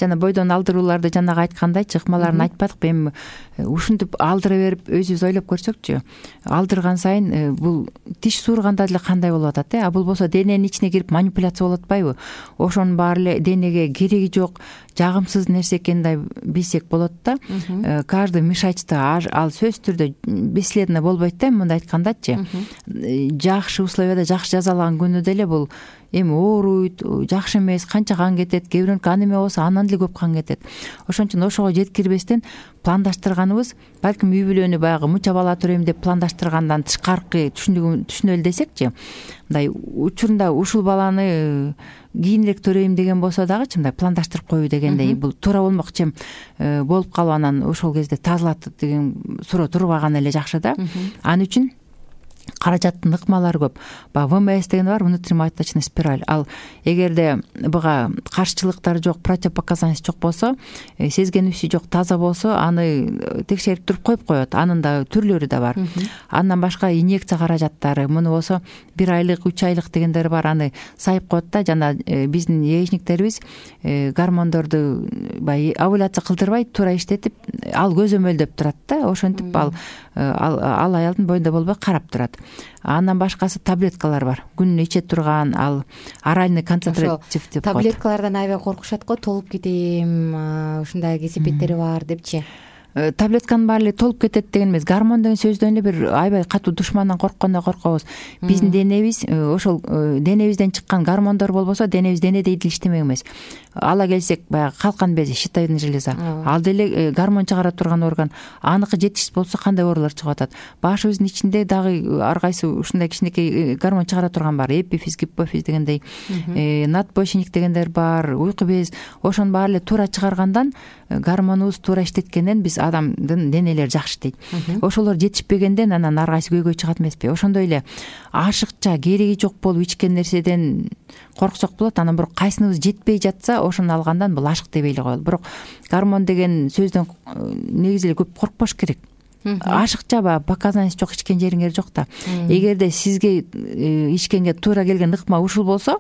Жана бойдон алдырууларды жанагы айткандай чыкмаларын айтпадыкпы, эми ушинтип алдыра берип өзүбүз ойлоп көрсөкчү, алдырган сайын бул тиш суурганда деле кандай болуп атат, а бул болсо дененин ичине кирип манипуляция болуп атпайбы? Ошонун баары эле денеге кереги жок, жагымсыз нерсе экенин билсек болот да. Каждый мешочто ал сөзсүз түрдө бесследно болбойт да, мындай айткандачы. Жакшы условияда, жакшы жазалаган күнү деле бул эми ооруйт, жакшы эмес, канча кан кетет, кээ бирөөнүкү анемия болсо андан деле көп кан кетет. Ошон үчүн ошого жеткирбестен пландаштырганыбыз, балким үй бүлөнү баягы муча бала төрөйм деп пландаштыргандан тышкаркы түшүнөлү десекчи, мындай учурунда ушул баланы кийинирээк төрөйм деген болсо дагычы мындай пландаштырып коюу дегендей, бул туура болмокчу болуп калып анан ошол кезде тазалат деген суроо турбаган эле жакшы да. Ал үчүн каражаттын ыкмалары көп. ВМС деген бар, внутриматочный спираль. Ал эгерде буга каршычылыктар жок, противопоказаниялар жок болсо, сезгенүүсү жок, таза болсо, аны текшерип туруп коюп коет. Анын да түрлөрү да бар. Андан башка инъекция каражаттары, муну болсо 1 айлык, 3 айлык дегендер бар, аны сайып коет да. Жана биздин яичниктерибиз гормондорду баягы овуляция кылдырбай туура иштетип, ал көзөмөлдөп турат да. Ошентип ал аялдын боюнда болбой карап турат. Андан башкасы таблеткалар бар. Күнүнө иче турган, ал оральный концентратив деп коет. Таблеткалардан аябай коркушат го, толуп кетем, ушундай кесепеттери бар депчи. Таблетканын баары эле толуп кетет деген эмес. Гормон деген сөздөн эле бир аябай катуу душмандан корккондой коркобуз. Биздин денебиз ошол денебизден чыккан гормондор болбосо, денебиз денедей деле иштемек эмес. Ала келсек, баягы калкан бези, щитовидный железа, ал деле гормон чыгара турган орган. Аныкы жетишсиз болсо кандай оорулар чыгып атат? Башыбыздын ичинде дагы ар кайсы ушундай кичинекей гормон чыгара турган бар. Эпифиз, гипофиз дегендей, надпочечник дегендер бар, уйку без. Ошонун баары эле туура чыгаргандан, гормонубуз туура иштеткенден биз адамдын денелери жакшы иштейт. Ошолор жетишпегенден анан ар кайсы көйгөй чыгат эмеспи? Ошондой эле ашыкча, кереги жок болуп ичкен нерседен корксок болот. Анан бирок кайсыныбыз жетпей жатса, ошону алгандан бул ашык деп эле коелу. Бирок гормон деген сөздөн негизи эле көп коркпош керек. Ашыкча показаниясы жок, ичкен жериңер жок да. Эгерде сизге ичкенге туура келген ыкма ушул болсо,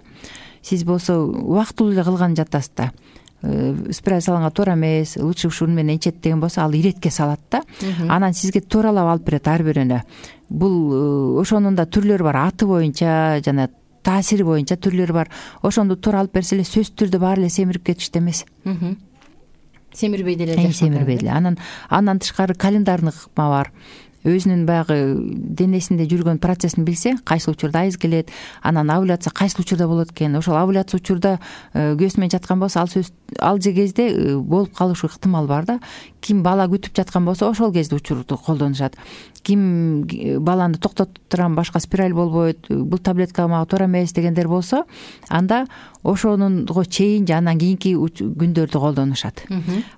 сиз болсо убактылуу эле кылган жатасыз да. Спираль салганга туура эмес, лучше ушун менен ичет деген болсо, ал иретке салат да. Анан сизге тууралап алып берет ар бирөөнө. Бул ошонун да түрлөрү бар, аты боюнча жана таасири боюнча түрлөрү бар. Ошондо туура алып берсе эле сөзсүз түрдө баары эле семирип кетишти эмес. Семирбей деле жашайт. Семирбей деле. Андан тышкары календарный ыкма бар. Өзүнүн баягы денесинде жүргөн процессин билсе, кайсы учурда айыз келет, анан овуляция кайсы учурда болот экен, ошол овуляция учурда күйөөсү менен жаткан болсо, ал кезде болуп калышы ыктымал бар да. Ким бала күтүп жаткан болсо, ошол кезде учурду колдонушат. Ким баланы токтотуп турам, башка спираль болбойт, бул таблетка мага туура эмес дегендер болсо, анда ошонунго чейин же андан кийинки күндөрдү колдонушат.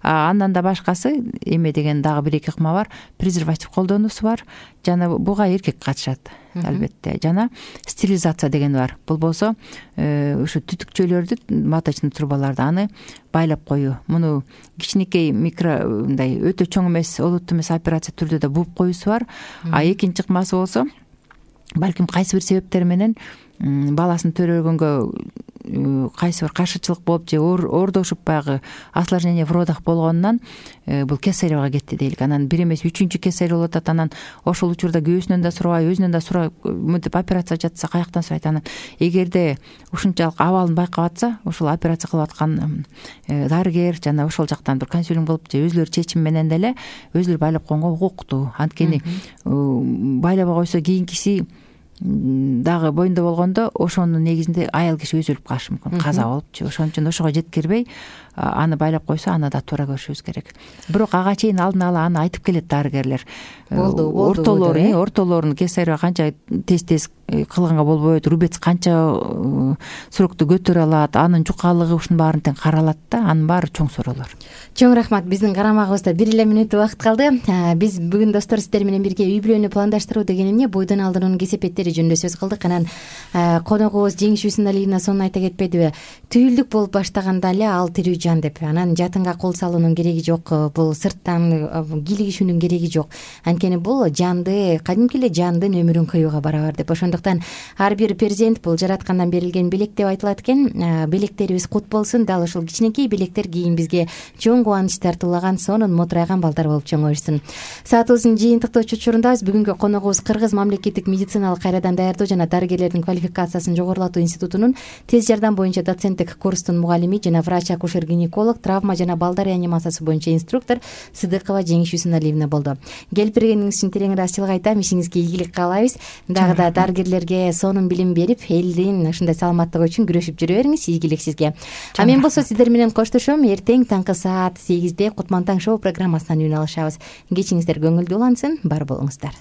Андан да башкасы эме деген дагы 1-2 ыкма бар. Презерватив колдонуусу бар. Жана буга эркек катышат, албетте. Жана стерилизация деген бар. Бул болсо ушу түтүкчөлөрдү, маточный трубаларды аны байлап коюу. Муну кичинекей мындай өтө чоң эмес, олуттуу эмес операция түрдө да бууп коюусу бар. Экинчи ыкмасы болсо, балким кайсы бир себептер менен баласын төрөгөнгө кайсы бир каршычылык болуп же оордошуп баягы осложнение в родах болгонунан бул кесаревага кетти дейлик. Анан 1 эмес 3-чү кесарь болуп атат. Анан ошол учурда күйөөсүнөн да сурабай, өзүнөн да сурабай мынтип операция жатса каяктан сурайт? Анан эгерде ушунчалык абалын байкап атса, ошол операция кылып аткан дарыгер жана ошол жактан бир консилиум кылып же өзүлөрү чечим менен деле өзүлөрү байлап койгонго укуктуу. Анткени байлабай койсо кийинкиси дагы боюнда болгондо ошонун негизинде аял киши өзү өлүп калышы мүмкүн, каза болупчу. Ошон үчүн ошого жеткирбей аны байлап койсо аны да туура көрүшүбүз керек. Бирок ага чейин алдын ала аны айтып келет дарыгерлер. Ортолорун кесарева канча тез кылганга болбойт, рубец канча срокду көтөрө алат, анын жукалыгы ушунун баарын тең каралат да, анын баары чоң суроолор. Чоң рахмат. Биздин карамагыбызда 1 эле мүнөт убакыт калды. Биз бүгүн достор сиздер менен бирге үй бүлөнү пландаштыруу деген эмне, бойдон алдыруунун кесепеттери жөнүндө сөз кылдык. Анан коногубуз Жеңиш Усуналиевна сонун айта кетпедиби? Түйүлдүк болуп баштаганда эле ал тирүү жан деп. Анан жатынга кол салуунун кереги жок, бул сырттан кийлигишүүнүн кереги жок. Анткени бул жанды, кадимки эле жандын өмүрүн кыюуга барабар деп. Ошондуктан ар бир перзент бул жараткандан берилген белек деп айтылат экен. Белектерибиз кут болсун. Дал ушул кичинекей белектер кийин бизге чоң кубаныч тартуулаган, сонун мотурайган балдар болуп чоңоюшсун. Саатыбыздын жыйынтыктоо учурунда бүгүнкү коногубуз Кыргыз мамлекеттик медициналык кайрадан даярдоо жана дарыгерлердин квалификациясын жогорулатуу институтунун тез жардам боюнча доценттик курстун мугалими жана врач-акушер-гинеколог, травма жана балдар реанимациясы боюнча инструктор Сыдыкова Жеңиш Усуналиевна болду. Келип бергениңиз үчүн терең ыраазычылык айтам. Ишиңизге ийгилик каалайбыз. Дагы да дарыгерлерге сонун билим берип, элдин ушундай саламаттыгы үчүн күрөшүп жүрө бериңиз. Ийгилик сизге. А мен болсо сиздер менен коштошом. Эртең таңкы саат 8-де Кутман таң шоу программасынан үн алышабыз. Кечиңиздер көңүлдүү улансын. Бар болуңуздар.